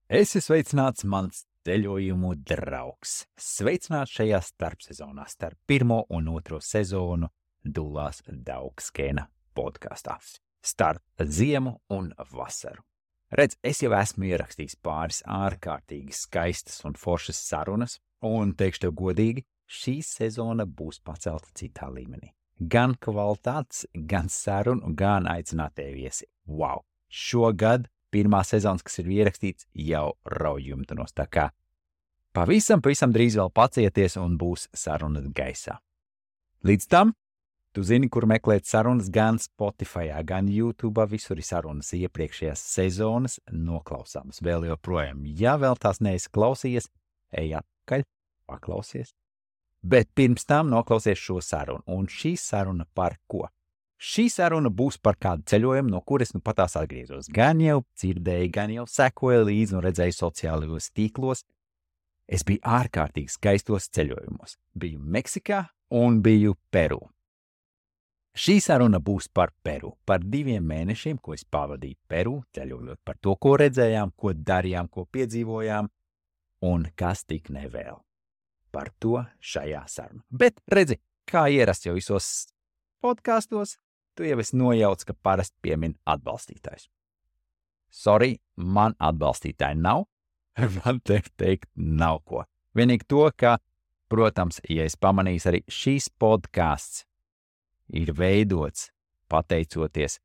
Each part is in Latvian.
Esi sveicināts, mans ceļojumu draugs. Sveicināts šajā starpsezonā starp 1. un 2. sezonu Dulās Daugskēna podkastā. Starp ziemu un vasaru. Redz, es jau esmu ierakstījis pāris ārkārtīgi skaistas un foršas sarunas, un teikšu tev godīgi, šī sezona būs pacelta citā līmenī. Gan kvalitātes, gan sarunu, gan aicinātie viesi. Wow! Šogad pirmā sezonas, kas ir ierakstīts, jau rauj jumtanos. Tā kā pavisam drīz vēl pacieties un būs sarunas gaisā. Līdz tam, tu zini, kur meklēt sarunas gan Spotify, gan YouTube, visur ir sarunas iepriekšējās sezonas noklausāmas vēl joprojām. Ja vēl tās neesi klausījies, ej atpakaļ, paklausies. Bet pirms tam noklausies šo sarunu. Un šī saruna par ko? Šī saruna būs par kādu ceļojumu, no kuras nu patās atgriezos. Gan jau dzirdēju, gan jau sekoju līdzi un redzēju sociālajos tīklos. Es biju ārkārtīgi skaistos ceļojumos. Biju Meksikā un biju Peru. Šī saruna būs par Peru, par 2 mēnešiem, ko es pavadīju Peru, ceļojot par to, ko redzējām, ko darījām, ko piedzīvojām un kas tik nevēl. Par to šajā sarunā. Bet redzi, kā ierasts jau visos podkastos, tu jau esi nojauc, ka parasti piemin atbalstītājs. Sorry, man atbalstītāji nav, man teikt nav ko. Vienīgi to, ka, protams, ja es pamanīju, arī šīs podcasts ir veidots pateicoties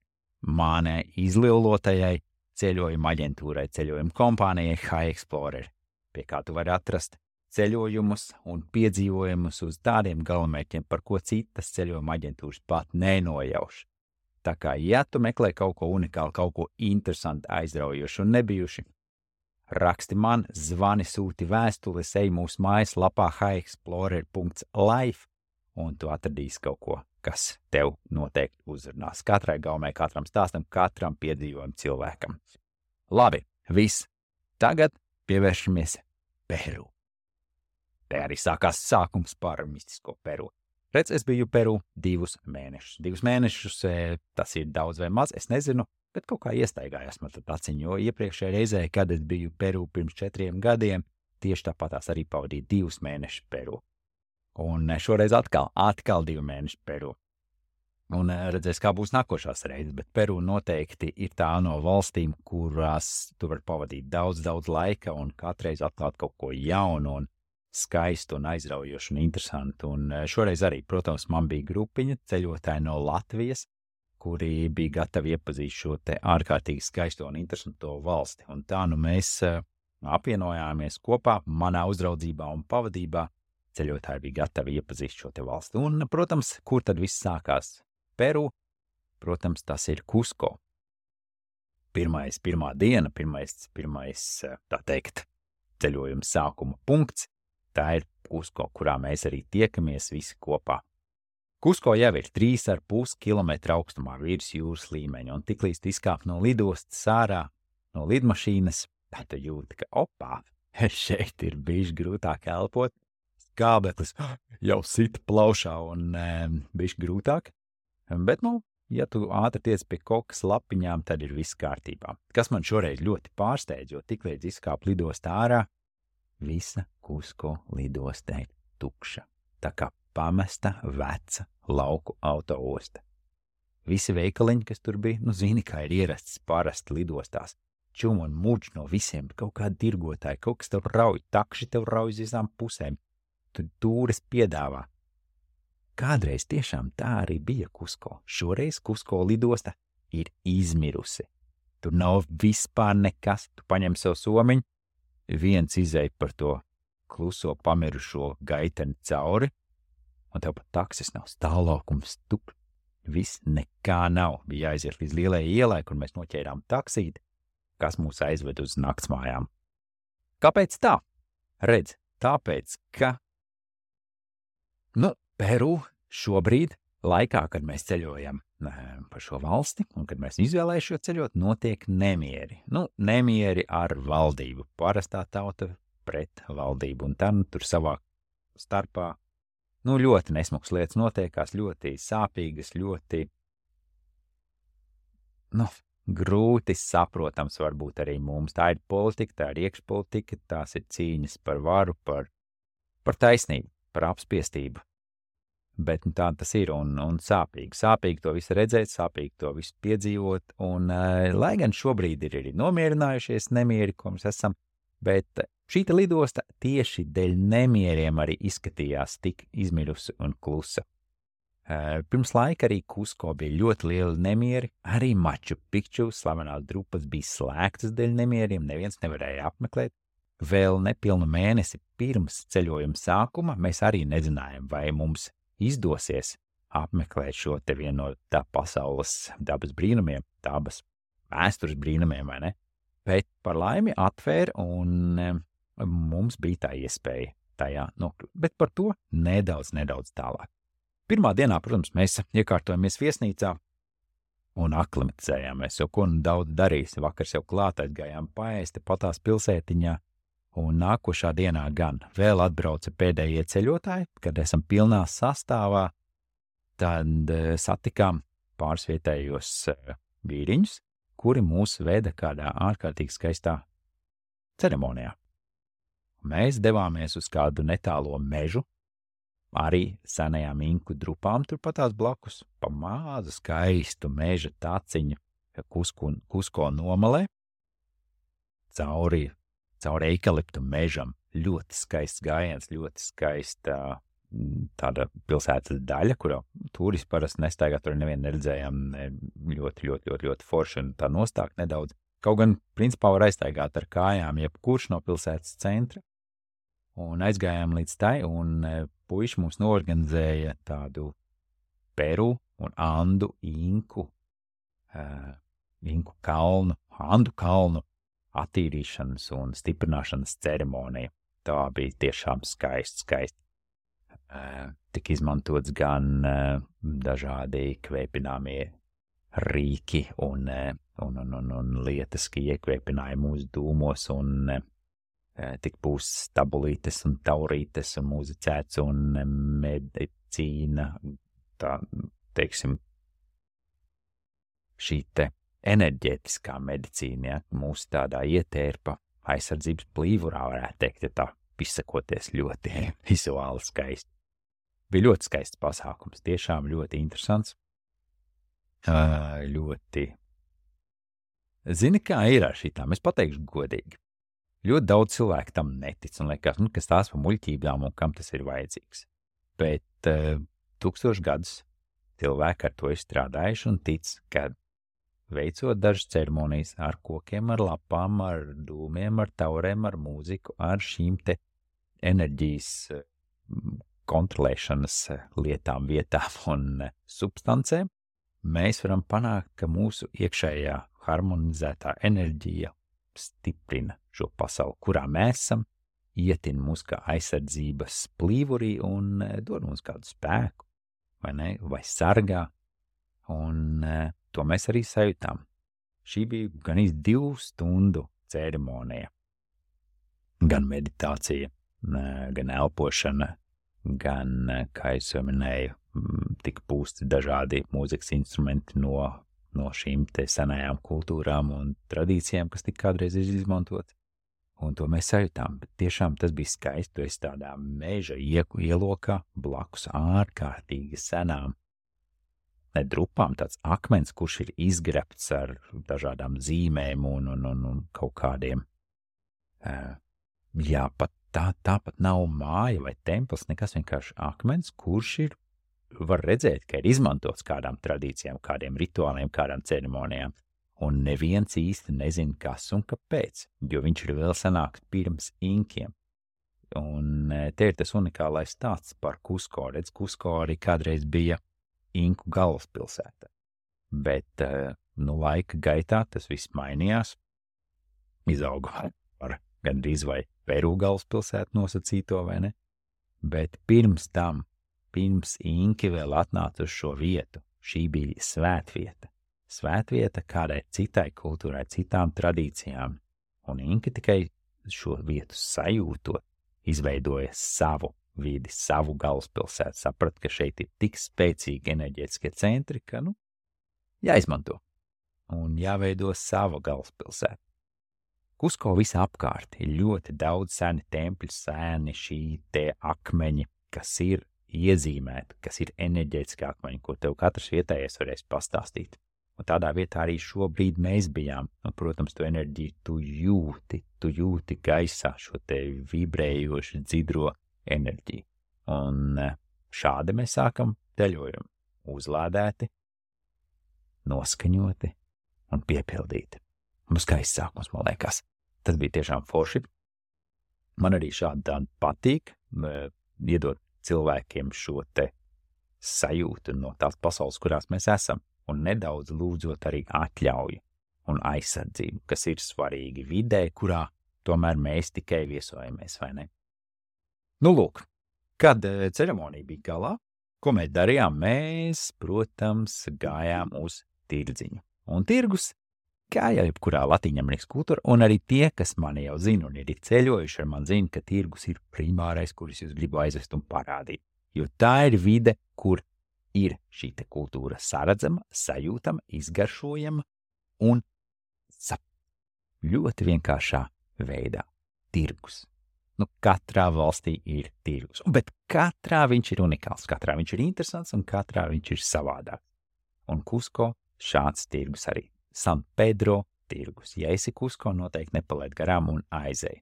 manai izlilotajai ceļojuma aģentūrai, ceļojuma kompānijai High Explorer, pie kā tu vari atrast ceļojumus un piedzīvojumus uz tādiem galamērķiem, par ko citas ceļojuma aģentūras pat nenojauš. Tā kā, ja tu meklē kaut ko unikālu, kaut ko interesantu, aizraujošu un nebijuši, raksti man, zvani, sūti vēstules, ej mūsu mājaslapā highexplorer.life un tu atradīsi kaut ko, kas tev noteikti uzrunās. Katrai gaumē, katram stāstam, katram piedzīvojam cilvēkam. Labi, viss. Tagad pievēršamies Peru. Te arī sākās sākums par mistisko Peru. Redz, es biju Peru 2 mēnešus. 2 mēnešus, tas ir daudz vai maz, es nezinu, bet kaut kā iestaigājās man tad aciņu, jo iepriekšējā reizē, kad es biju Peru pirms 4 gadiem, tieši tāpatās arī pavadīju 2 mēnešus Peru. Un šoreiz atkal 2 mēneši Peru. Un redzēs, kā būs nākošās reizes, bet Peru noteikti ir tā no valstīm, kurās tu vari pavadīt daudz laika un katreiz atklāt kaut ko jaunu un skaistu un aizraujošu un interesantu. Un šoreiz arī, protams, man bija grupiņa ceļotāji no Latvijas, kuri bija gatavi iepazīt šo te ārkārtīgi skaisto un interesanto valsti. Un tā nu mēs apvienojāmies kopā manā uzraudzībā un pavadībā. Ceļotāji bija gatavi iepazīt šo te valsti. Un, protams, kur tad viss sākās? Peru, protams, tas ir Kusko. Pirmā diena, pirmais, tā teikt, ceļojuma sākuma punkts. Tā ir Kusko, kurā mēs arī tiekamies visi kopā. Kusko jau ir 3,5 kilometru augstumā virs jūras līmeņa, un tiklīdz tu izkāp no lidostas ārā, no lidmašīnas, tad tu jūti, ka opā, šeit ir bišķi grūtāk elpot, skābeklis jau sit plaušā un bišķi grūtāk, bet, ja tu ātri tiec pie kokas lapiņām, tad ir viss kārtībā. Kas man šoreiz ļoti pārsteidz, jo tiklīdz izkāp lidostā ārā, visa Kusko lidostā ir tukša, tā kā pamesta veca lauku autoosta. Visi veikaliņi, kas tur bija, zini, kā ir ierasts parasti lidostās. Čum un muģ no visiem, kaut kādi tirgotāji, kaut kas tev rauj, takši tev rauj uz visām pusēm. Tu tūres piedāvā. Kādreiz tiešām tā arī bija Kusko. Šoreiz Kusko lidosta ir izmirusi. Tur nav vispār nekas, tu paņem sev somiņu, viens izej par to kluso pamirušo gaiteni cauri, un tev pat taksis nav, stāvlaukums tuk, viss nekā nav. Bija jāiziet līdz lielajai ielai, kur mēs noķērām taksīti, kas mūs aizved uz naktsmājām. Kāpēc tā? Redz, tāpēc, ka Peru šobrīd, laikā, kad mēs ceļojam pa šo valsti, un kad mēs izvēlējuši ceļot, notiek nemieri. Nemieri ar valdību, parastā tauta pret valdību, un tam tur savā starpā, ļoti nesmuks lietas notiekās, ļoti sāpīgas, ļoti, grūti saprotams varbūt arī mums. Tā ir politika, tā ir iekšpolitika, tās ir cīņas par varu, par taisnību, par apspiestību. Bet tā tas ir un sāpīgi. Sāpīgi to visu redzēt, sāpīgi to visu piedzīvot, un lai gan šobrīd ir arī nomierinājušies nemieri, ko mēs esam, bet šīta lidosta tieši dēļ nemieriem arī izskatījās tik izmirusi un klusa. Pirms laika arī Kusko bija ļoti lieli nemieri, arī Maču Pikču slavenās drupas bija slēgtas dēļ nemieriem, neviens nevarēja apmeklēt. Vēl nepilnu mēnesi pirms ceļojuma sākuma mēs arī nezinājām, vai mums izdosies apmeklēt šo te vienu no tā pasaules dabas brīnumiem, dabas vēstures brīnumiem, vai ne? Bet par laimi atvēra un mums bija tā iespēja tajā nokļūt. Bet par to nedaudz tālāk. Pirmā dienā, protams, mēs iekārtojamies viesnīcā un aklimatizējāmies, jo ko nu daudz darīs. Vakars jau klāt aizgājām paēsti patās pilsētiņā, un nākošā dienā gan vēl atbrauca pēdējie ceļotāji, kad esam pilnā sastāvā, tad satikām pāris vietējos vīriņus, kuri mūs veda kādā ārkārtīgi skaistā ceremonijā. Mēs devāmies uz kādu netālo mežu, arī senajām inku drupām turpatās blakus, pa mazu skaistu meža taciņu Kusko nomalē, cauri eikaliptu mežam, ļoti skaists gājiens, ļoti skaista tāda pilsētas daļa, kurā turisti parasti nestaigā, tur nevienu neredzējām, ļoti forši un tā nostāk nedaudz. Kaut gan, principā, var aiztaigāt ar kājām, jebkurš no pilsētas centra. Un aizgājām līdz tai, un puiši mums noorganizēja tādu Peru un Andu inku kalnu, Andu kalnu attīrīšanas un stiprināšanas ceremonija. Tā bija tiešām skaisti. Tik izmantots gan dažādi kvēpināmie rīki un lietas, ka iekvēpināja mūsu dūmos un tik būs tabulītes un taurītes un muzicēts un medicīna, tā, teiksim, šī te enerģētiskā medicīna, ja, mūsu tādā ietērpa aizsardzības plīvurā, varētu teikt, ja tā izsakoties ļoti vizuāli skaisti. Bija ļoti skaists pasākums, tiešām ļoti interesants. Zini, kā ir ar šitām, es pateikšu godīgi. Ļoti daudz cilvēku tam netic un liekas, kas tās pa muļķībām un kam tas ir vajadzīgs. Bet 1000 gadus cilvēki ar to ir strādājuši un tic, ka veicot dažas ceremonijas ar kokiem, ar lapām, ar dūmiem, ar taurēm, ar mūziku, ar šīm te enerģijas kontrolēšanas lietām, vietām un substancēm, mēs varam panākt, ka mūsu iekšējā harmonizētā enerģija stiprina šo pasauli, kurā mēs esam, ietin mūs kā aizsardzības plīvurī un dod mums kādu spēku, vai ne, vai sargā, un to mēs arī sajūtām. Šī bija gan 2 stundu ceremonija, gan meditācija, gan elpošana, gan, kā es jau minēju, tika pūsti dažādi mūzikas instrumenti no šīm te senajām kultūrām un tradīcijām, kas tik kādreiz ir izmantot. Un to mēs sajūtām, bet tiešām tas bija skaisti, tu esi tādā meža ielokā blakus ārkārtīgi senām drupām, tāds akmens, kurš ir izgrebts ar dažādām zīmēm un kaut kādiem. Jā, pat tāpat nav māja vai templis, nekas vienkārši akmens, kurš ir, var redzēt, ka ir izmantots kādām tradīcijām, kādiem rituāliem, kādām ceremonijām, un neviens īsti nezina, kas un kāpēc, jo viņš ir vēl senāks pirms inkiem. Un te ir tas unikālais stāsts par Kusko. Redz, Kusko arī kādreiz bija inku galvaspilsēta, bet laika gaitā tas viss mainījās, izauga par gandrīz vai Peru galvaspilsētu nosacīto, vai ne? Bet pirms inki vēl atnāca uz šo vietu, šī bija svētvieta kādai citai kultūrai, citām tradīcijām, un inki tikai šo vietu sajūtot, izveidoja savu vidi, savu galvaspilsētu, saprat, ka šeit ir tik spēcīgi enerģētiskie centri, ka, jāizmanto. un jāveido sava galvaspilsēta. Kusko visā apkārt ir ļoti daudz seni tempļi, seni šī te akmeņi, kas ir iezīmēti, kas ir enerģētiski akmeņi, ko tev katrs vietējais varēs pastāstīt. Un tādā vietā arī šobrīd mēs bijām. Un, protams, tu enerģiju tu jūti gaisā šo te vibrējošu dzidro enerģiju. Un šādi mēs sākam ceļojumu. Uzlādēti, noskaņoti un piepildīti. Mums skaists sākums, man liekas. Tas bija tiešām forši. Man arī šādi tādi patīk, iedot cilvēkiem šo te sajūtu no tās pasaules, kurās mēs esam, un nedaudz lūdzot arī atļauju un aizsardzību, kas ir svarīgi vidē, kurā tomēr mēs tikai viesojamies, vai ne? Nu, lūk, kad ceremonija bija galā, ko mēs darījām? Mēs, protams, gājām uz tirdziņu. Un tirgus, kā jau jebkurā Latīņamerikas kultūra, un arī tie, kas mani jau zina un ir ceļojuši ar mani zina, ka tirgus ir primārais, kurus jūs gribu aizvest un parādīt. Jo tā ir vide, kur ir šī te kultūra saredzama, sajūtama, izgaršojama un ļoti vienkāršā veidā. Tirgus. Nu, katrā valstī ir tirgus, bet katrā viņš ir unikāls, katrā viņš ir interesants un katrā viņš ir savādāk. Un Kusko šāds tirgus arī. San Pedro tirgus. Ja esi Kusko, noteikti nepalaid garām un aizej.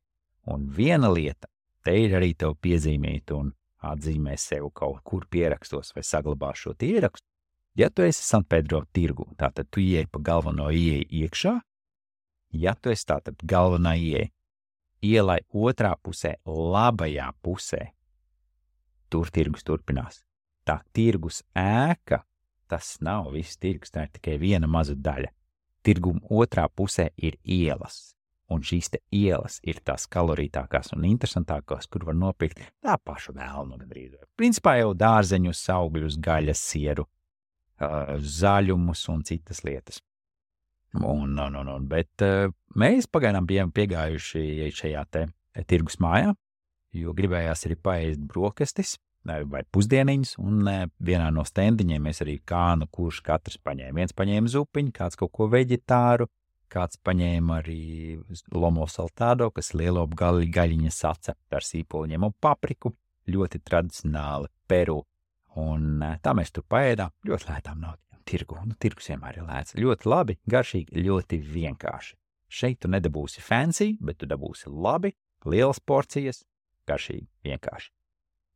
Un viena lieta, te ir arī tev piezīmīt un atzīmē sev kaut kur pierakstos vai saglabā šo ierakstu. Ja tu esi San Pedro tirgu, tātad tu ieej pa galveno ieeju iekšā. Ja tu esi tātad galvenā ieeja, ielai otrā pusē, labajā pusē, tur tirgus turpinās. Tā tirgus ēka, tas nav viss tirgus, tā ir tikai viena maza daļa. Tirguma otrā pusē ir ielas, un šīs te ielas ir tās kalorītākās un interesantākās, kur var nopirkt tā pašu vēlnu gandrīz. Principā jau dārzeņus, augļus, gaļas, sieru, zaļumus un citas lietas. Bet mēs pagaidām bijām piegājuši šajā te tirgus mājā, jo gribējās arī paēst brokastis vai pusdieniņas, un vienā no stendiņiem mēs arī kurš katrs paņēma. Viens paņēma zupiņu, kāds kaut ko veģetāru, kāds paņēma arī lomo saltādo, kas lielo gaļiņa sacepta ar sīpoliņiem un papriku, ļoti tradicionāli Peru. Un tā mēs tur paēdām, ļoti lētām naudām. Tirgus vienmēr ir lēts. Ļoti labi, garšīgi, ļoti vienkārši. Šeit tu nedabūsi fancy, bet tu dabūsi labi, lielas porcijas, garšīgi, vienkārši.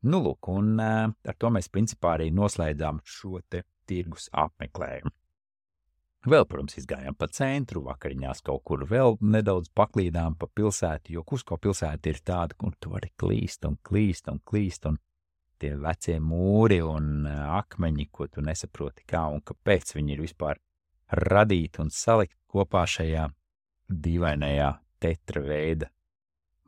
Nu, lūk, un ar to mēs principā arī noslēdzām šo te tirgus apmeklējumu. Vēl, protams, izgājām pa centru, vakariņās kaut kur vēl nedaudz paklīdām pa pilsētu, jo Kusko pilsēta ir tāda, kur tu vari klīst, un tie vecie mūri un akmeņi, ko tu nesaproti kā un kāpēc viņi ir vispār radīti un salikt kopā šajā dīvainajā tetra veida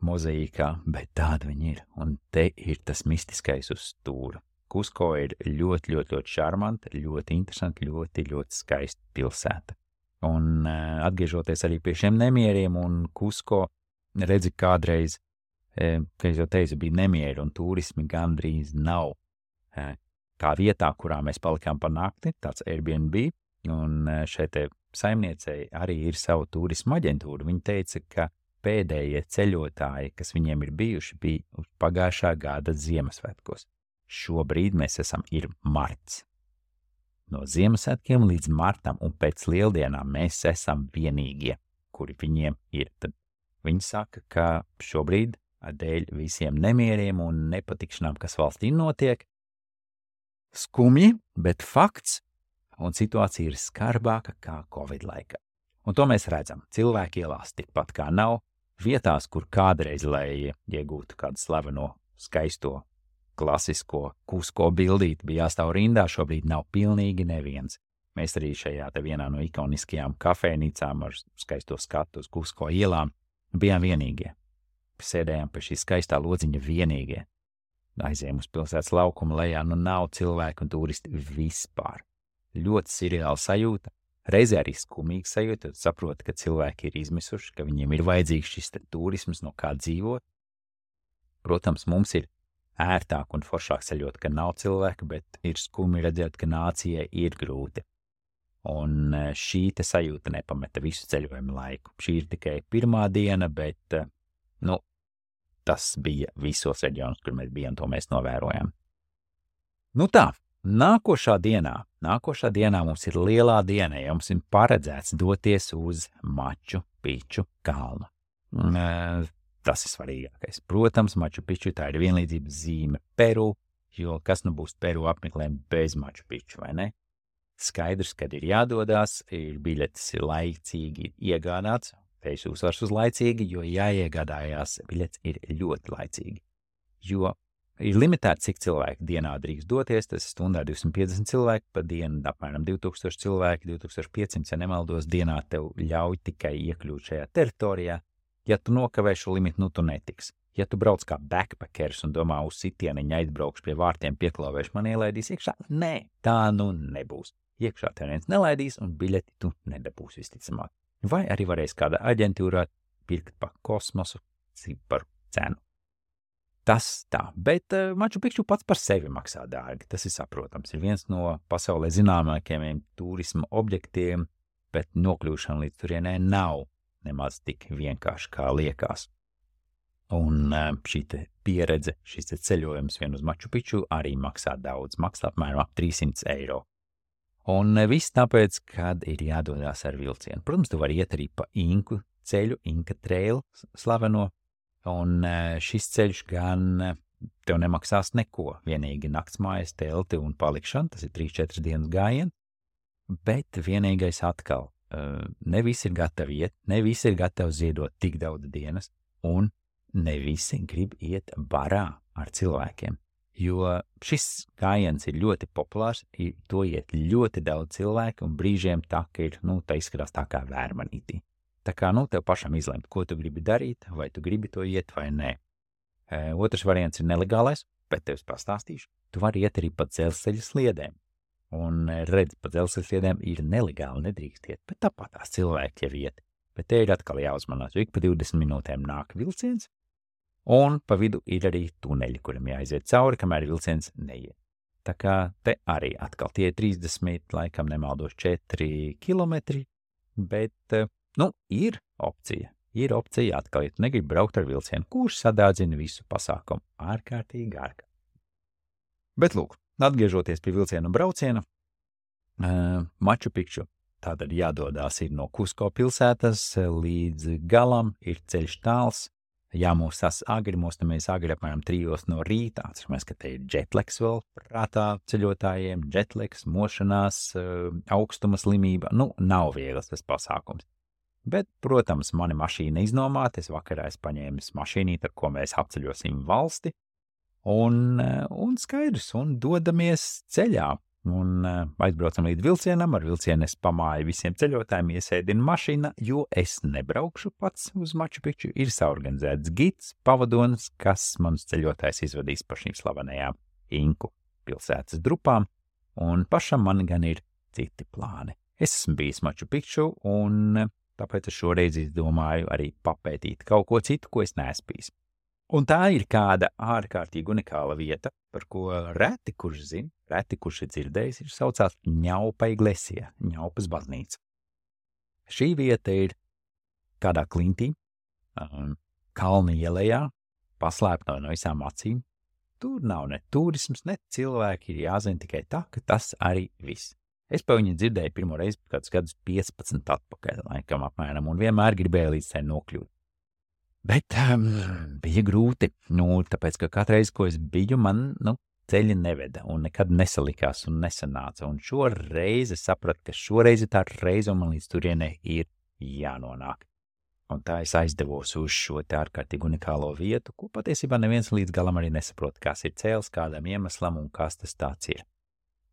mozaīkā, bet tāda viņi ir, un te ir tas mistiskais uz stūra. Kusko ir ļoti šarmanta, ļoti interesanta, ļoti skaista pilsēta. Un atgriežoties arī pie šiem nemieriem un Kusko, redzi kādreiz, kā es jau teicu, bija nemieri un turismi gandrīz nav. Kā vietā, kurā mēs palikām pa nakti, tāds Airbnb, un šeit saimniecei arī ir savu turismu aģentūru. Viņa teica, ka pēdējie ceļotāji, kas viņiem ir bijuši, bija uz pagājušā gada Ziemassvētkos. Šobrīd mēs ir marts. No Ziemassvētkiem līdz martam un pēc lieldienām mēs esam vienīgie, kuri viņiem ir. Tad viņi saka, ka šobrīd dēļ visiem nemieriem un nepatikšanām, kas valstī notiek, skumji, bet fakts, un situācija ir skarbāka kā Covid laikā. Un to mēs redzam. Cilvēki ielās tikpat kā nav, vietās, kur kādreiz, lai iegūtu kādu slaveno, skaisto, klasisko Kusko bildīti, bija jāstāv rindā, šobrīd nav pilnīgi neviens. Mēs arī šajā te vienā no ikoniskajām kafejnīcām ar skaisto skatu uz Kusko ielām bijām vienīgie. Sēdējām pie šī skaistā lodziņa vienīgie. Aizējām uz pilsētas laukumu lejā, nu nav cilvēku un turisti vispār. Ļoti sirreāla sajūta, reizē arī skumīga sajūta, tad saproti, ka cilvēki ir izmisuši, ka viņiem ir vajadzīgs šis turisms, no kā dzīvot. Protams, mums ir ērtāk un foršāk ceļot, ka nav cilvēku, bet ir skumji redzēt, ka nācijai ir grūti. un šī te sajūta nepameta visu ceļojumu laiku. Šī ir tikai pirmā diena, bet, tas bija visos reģionos, kur mēs bijām, to mēs novērojām. Tā, nākošā dienā mums ir lielā diena, ja mums ir paredzēts doties uz Maču Piču kalnu. Tas ir svarīgākais. Protams, Maču Piču tā ir vienlīdzības zīme Peru, jo kas būs Peru apmeklējumi bez Maču Piču, vai ne? Skaidrs, kad ir jādodās, ir biļetes ir laicīgi iegādāts, tieši uzsvars uz laicīgi, jo jāiegādājās biļetes ir ļoti laicīgi, jo ir limitēts, cik cilvēki dienā drīkst doties, tas ir stundā 250 cilvēki, pa dienu apmēram 2000 cilvēki, 2500, ja nemaldos, dienā tev ļauj tikai iekļūt šajā teritorijā. Ja tu nokavē šo limitu, tu netiksi. Ja tu brauc kā backpackers un domā uz sitieniņu aizbraukšu pie vārtiem, pieklāvēšu, man ielaidīs iekšā, nē, tā nebūs. Iekšā tev neviens nelaidīs un biļeti tu nedabūsi visticamāk. Vai arī varēs kādā aģentūrā pirkt pa kosmosu ciparu cenu. Tas tā, bet Maču Pikču pats par sevi maksā dārgi, tas ir saprotams. Ir viens no pasaulē zināmākajiem turisma objektiem, bet nokļūšana līdz turienē nav nemaz tik vienkārši kā liekas. Un šī pieredze, šis ceļojums vien uz Maču Pikču arī maksā daudz, maksā apmēram ap 300 eiro. Un viss tāpēc, kad ir jādodās ar vilcienu. Protams, tu vari iet arī pa Inku ceļu, Inka Trail slaveno, un šis ceļš gan tev nemaksās neko, vienīgi naktsmājas, telti un palikšana, tas ir 3-4 dienas gājiens, bet vienīgais atkal, ne visi ir gatavi iet, ne visi ir gatavi ziedot tik daudz dienas, un ne visi grib iet barā ar cilvēkiem. Jo šis gājiens ir ļoti populārs, to iet ļoti daudz cilvēku, un brīžiem tā izskatās tā kā vērmanītī. Tā kā, tev pašam izlemt, ko tu gribi darīt, vai tu gribi to iet vai nē. Otrs variants ir nelegālais, bet tev pastāstīšu. Tu vari iet arī pa dzelzceļa sliedēm. Un redz, pa dzelzceļa sliedēm ir nelegāli, nedrīkst iet, bet tāpat tās cilvēki jau iet. Bet te ir atkal jāuzmanās, jo ik pa 20 minūtēm nāk vilciens, un pa vidu ir arī tuneļi, kuram jāiziet cauri, kamēr vilciens neiet. Tā kā te arī atkal tie 30, laikam nemaldos 4 kilometri, bet, ir opcija. Ir opcija atkal, ja tu negribi braukt ar vilcienu, kurš sadārdzina visu pasākumu ārkārtīgi. Bet lūk, atgriežoties pie vilcienu brauciena, Maču Pikču tātad jādodās ir no Kusko pilsētas līdz galam, ir ceļš tāls, jāmostās agri, mostamies agri apmēram 3 no rīta, atceramies, ka te ir jetlags vēl prātā ceļotājiem, jetlags, mošanās, augstuma slimība, nav viegls tas pasākums. Bet, protams, mani mašīna iznomāta, es vakarā paņēmu mašīnīti, ar ko mēs apceļosim valsti, un skaidrs, un dodamies ceļā, un aizbraucam līdz vilcienam, ar vilcienu es pamāju visiem ceļotājiem, iesēdinu mašīnā, jo es nebraukšu pats uz Maču Pikču, ir saorganizēts gids, pavadonis, kas manus ceļotājs izvadīs pa šīm slavenajām Inku pilsētas drupām, un pašam man gan ir citi plāni. Es esmu bijis Maču Pikču, un tāpēc es šoreiz izdomāju arī papētīt kaut ko citu, ko es neesmu bijis. Un tā ir kāda ārkārtīgi unikāla vieta, par ko reti, kurš zina, reti, kurš ir dzirdējis, ir saucās Ņaupa Iglesija, Ņaupas baznīca. Šī vieta ir kādā klintī, kalna ielejā, paslēpta no visām acīm. Tur nav ne turisms, ne cilvēki, ir jāzina tikai tā, ka tas arī viss. Es pa viņu dzirdēju pirmo reizi kādus gadus 15 atpakaļ, laikam apmēram, un vienmēr gribēju līdz tai nokļūt. Bet bija grūti, tāpēc, ka katreiz, ko es biju, man, ceļi neveda, un nekad nesalikās un nesanāca, un šoreiz es sapratu, ka šoreiz ir tā reize, un man līdz turienei ir jānonāk. Un tā es aizdevos uz šo te ārkārtīgi unikālo vietu, ko patiesībā neviens līdz galam arī nesaprot, kas ir cēls, kādam iemeslam un kas tas tāds ir.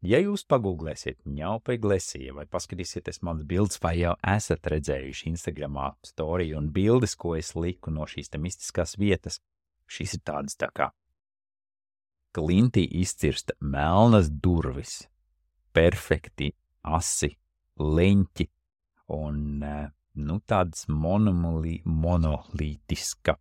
Ja jūs pagūglēsiet Ņaupa Iglesija vai paskatīsieties manas bildes, vai jau esat redzējuši Instagramā storiju un bildes, ko es liku no šīs te mistiskās vietas, šīs ir tādas tā kā klintī izcirsta melnas durvis, perfekti asi leņķi un tādas monolītiska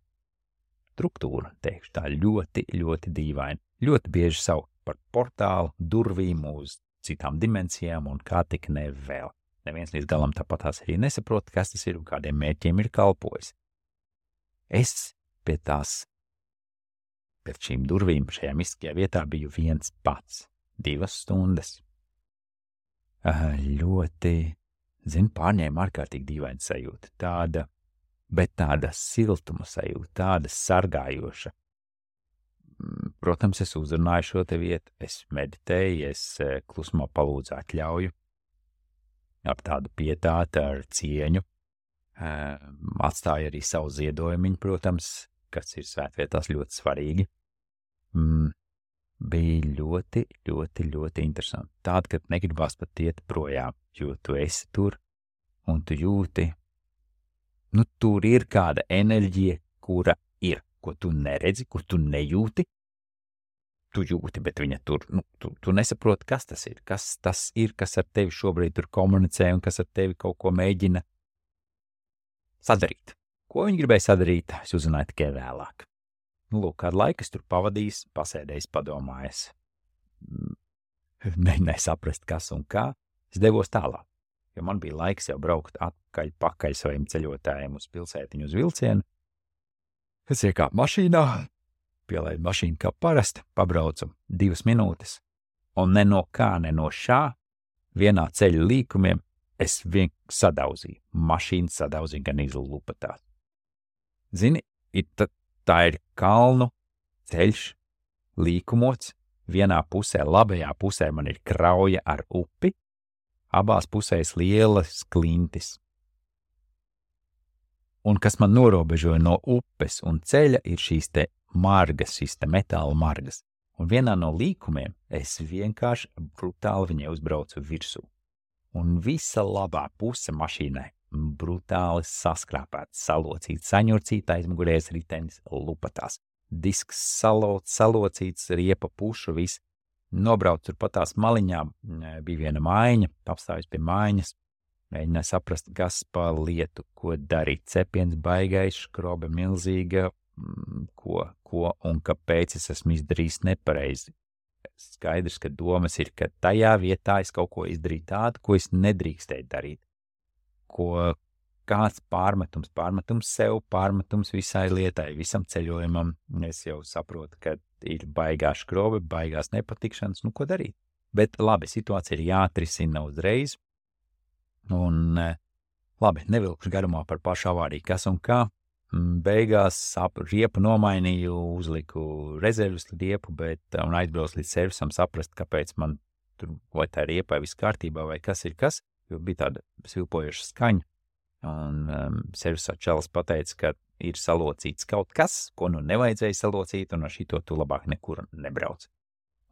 struktūra, teikšu tā, ļoti, ļoti dīvaina, ļoti bieži saukt par portālu, durvīm uz citām dimensijām un kā tik ne vēl. neviens līdz galam tāpatās arī nesaprot, kas tas ir un kādiem mērķiem ir kalpojis. Es pie šīm durvīm šajā mistiskajā vietā biju viens pats, 2 stundas. Ļoti, pārņēma ārkārtīgi dīvaina sajūta, tāda siltuma sajūta, tāda sargājoša. Protams, es uzrunāju šo te vietu, es meditēju, es klusumā palūdzu atļauju, ap tādu pietāti ar cieņu, atstāju arī savu ziedojumiņu, protams, kas ir svētvietās ļoti svarīgi. Bija ļoti, ļoti, ļoti interesanti. Tāda, ka negribās pat iet projām, jo tu esi tur un tu jūti, tur ir kāda enerģija, kura ir, ko tu neredzi, kur tu nejūti. Tu jūti, bet viņa tur, tu nesaproti, kas tas ir, kas ar tevi šobrīd tur komunicē un kas ar tevi kaut ko mēģina sadarīt. Ko viņi gribēja sadarīt, es uzzināju tikai vēlāk. Kādu laiku es tur pavadījis, pasēdējis, padomājis. Nesaprast, kas un kā, es devos tālāk, jo man bija laiks jau braukt pakaļ saviem ceļotājiem uz pilsētiņu uz vilcienu. Es iekāpu mašīnā, pielaidu mašīnu kā parasti, pabraucu 2 minūtes, un ne no kā, ne no šā, vienā ceļa līkumiem es sadauzīju. Mašīna sadauzīja gan izlupatās. Zini, tā ir kalnu ceļš, līkumots, vienā pusē, labajā pusē man ir krauja ar upi, abās pusēs lielas klintis. Un kas man norobežoja no upes un ceļa ir šīs te margas, šīs te metāla margas. Un vienā no līkumiem es vienkārši brutāli viņai uzbraucu virsū. Un visa labā puse mašīnai brutāli saskrāpēta, salocīta, saņurcīta aizmugurējais ritenis lupatās. Disks salocīts, riepa pušu, viss. Nobrauc tur pat tās maliņām, bija viena mājiņa, apstājos pie mājiņas, mēģināju saprast, kas pa lietu, ko darīt. Cepiens baigais, skrobe milzīga, ko un kāpēc es esmu izdarījis nepareizi. Skaidrs, ka domas ir, ka tajā vietā es kaut ko izdarīju tādu, ko es nedrīkstēju darīt. Ko kāds pārmetums sev, pārmetums visai lietai, visam ceļojumam. Es jau saprotu, ka ir baigā skrobe, baigās nepatikšanas, ko darīt. Bet labi, situācija ir jāatrisina uzreiz. Un labi, nevilkšu garumā par pašu avāriju, kas un kā. Beigās riepu nomainīju, uzliku rezervas riepu, un aizbraucu līdz servisam saprast, kāpēc man tur vai tā riepai viss kārtībā vai kas ir kas, jo bija tāda svilpojoša skaņa. Un servisā čalis pateica, ka ir salocīts kaut kas, ko nevajadzēja salocīt, un ar šito tu labāk nekur nebrauc.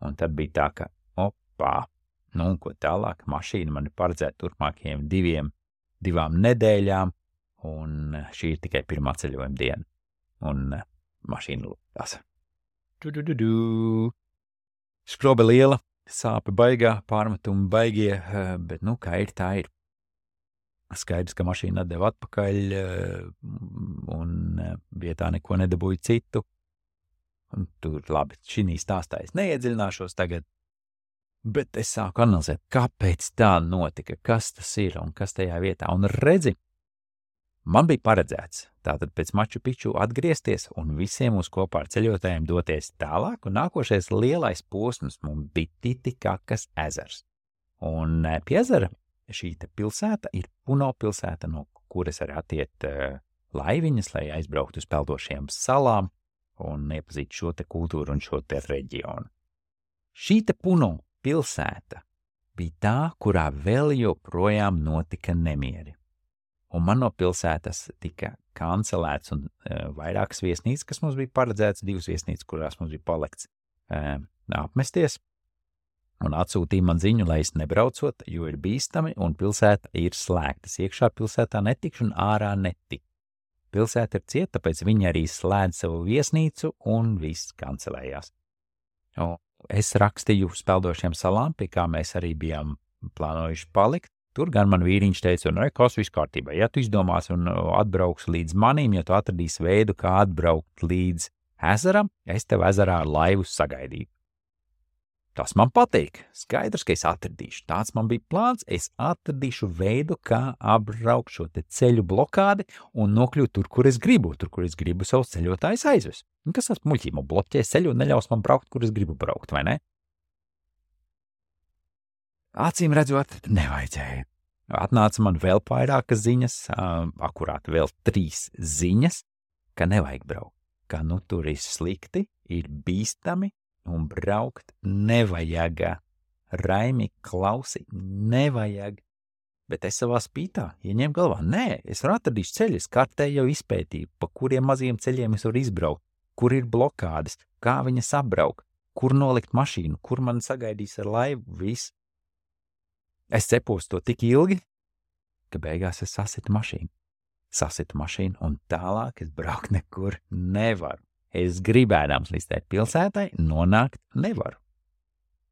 Un tad bija tā, ka un ko tālāk, mašīna man ir paredzēta turpmākajiem 2 nedēļām, un šī ir tikai pirmā ceļojuma diena. Un mašīna lūktās. Skrobe liela, sāpe baigā, pārmetumi baigie, bet kā ir, tā ir. Skaidrs, ka mašīna atdeva atpakaļ, un vietā neko nedabūju citu. Un tur labi, šī stāstā es neiedziļināšos tagad, bet es sāku analizēt, kāpēc tā notika, kas tas ir un kas tajā vietā. Un redzi, man bija paredzēts tātad pēc Maču Piču atgriezties un visiem uz kopā ar ceļotājiem doties tālāk, un nākošais lielais posms mums bija Titikakas ezers. Un pie ezera šī te pilsēta ir Puno pilsēta, no kuras arī attiet laiviņas, lai aizbrauktu uz peldošiem salām un iepazītu šo te kultūru un šo te reģionu. Šī te Puno pilsēta bija tā, kurā vēl joprojām notika nemieri. Un man no pilsētas tika kancelēts un vairākas viesnīcas, kas mums bija paredzēts, 2 viesnīcas, kurās mums bija palikts apmesties, un atsūtīja man ziņu, lai es nebraucot, jo ir bīstami un pilsēta ir slēgtas. Iekšā pilsētā netikšu un ārā netik. Pilsēta ir cieta, tāpēc viņi arī slēdz savu viesnīcu un viss kancelējās. Es rakstīju uz peldošiem salām, pie kā mēs arī bijām plānojuši palikt. Tur gan man vīriņš teica, kas viss kārtībā. Ja tu izdomās un atbrauks līdz manim, ja tu atradīsi veidu, kā atbraukt līdz ezeram, es tev ezerā ar laivu sagaidīju. Tas man patīk. Skaidrs, ka es atradīšu. Tāds man bija plāns. Es atradīšu veidu, kā apbraukt šo te ceļu blokādi un nokļūt tur, kur es gribu. Tur, kur es gribu savus ceļotājus aizvest. Un kas tas muļķība bloķē ceļu un neļaus man braukt, kur es gribu braukt, vai ne? Acīm redzot, nevajadzēja. Atnāca man vēl vairākas ziņas, akurāt vēl 3 ziņas, ka nevajag braukt. Ka nu tur ir slikti, ir bīstami, un braukt nevajag. Raimi, klausi, nevajag. Bet es savā spītā ieņēmu galvā. Nē, es varu atradīšu ceļus, kartē jau izpētīju, pa kuriem maziem ceļiem es varu izbraukt, kur ir blokādes, kā viņas apbraukt, kur nolikt mašīnu, kur man sagaidīs ar laivu, viss. Es cepos to tik ilgi, ka beigās es sasitu mašīnu, un tālāk es braukt nekur nevaru. Es gribēdams līdz tai pilsētai nonākt nevaru.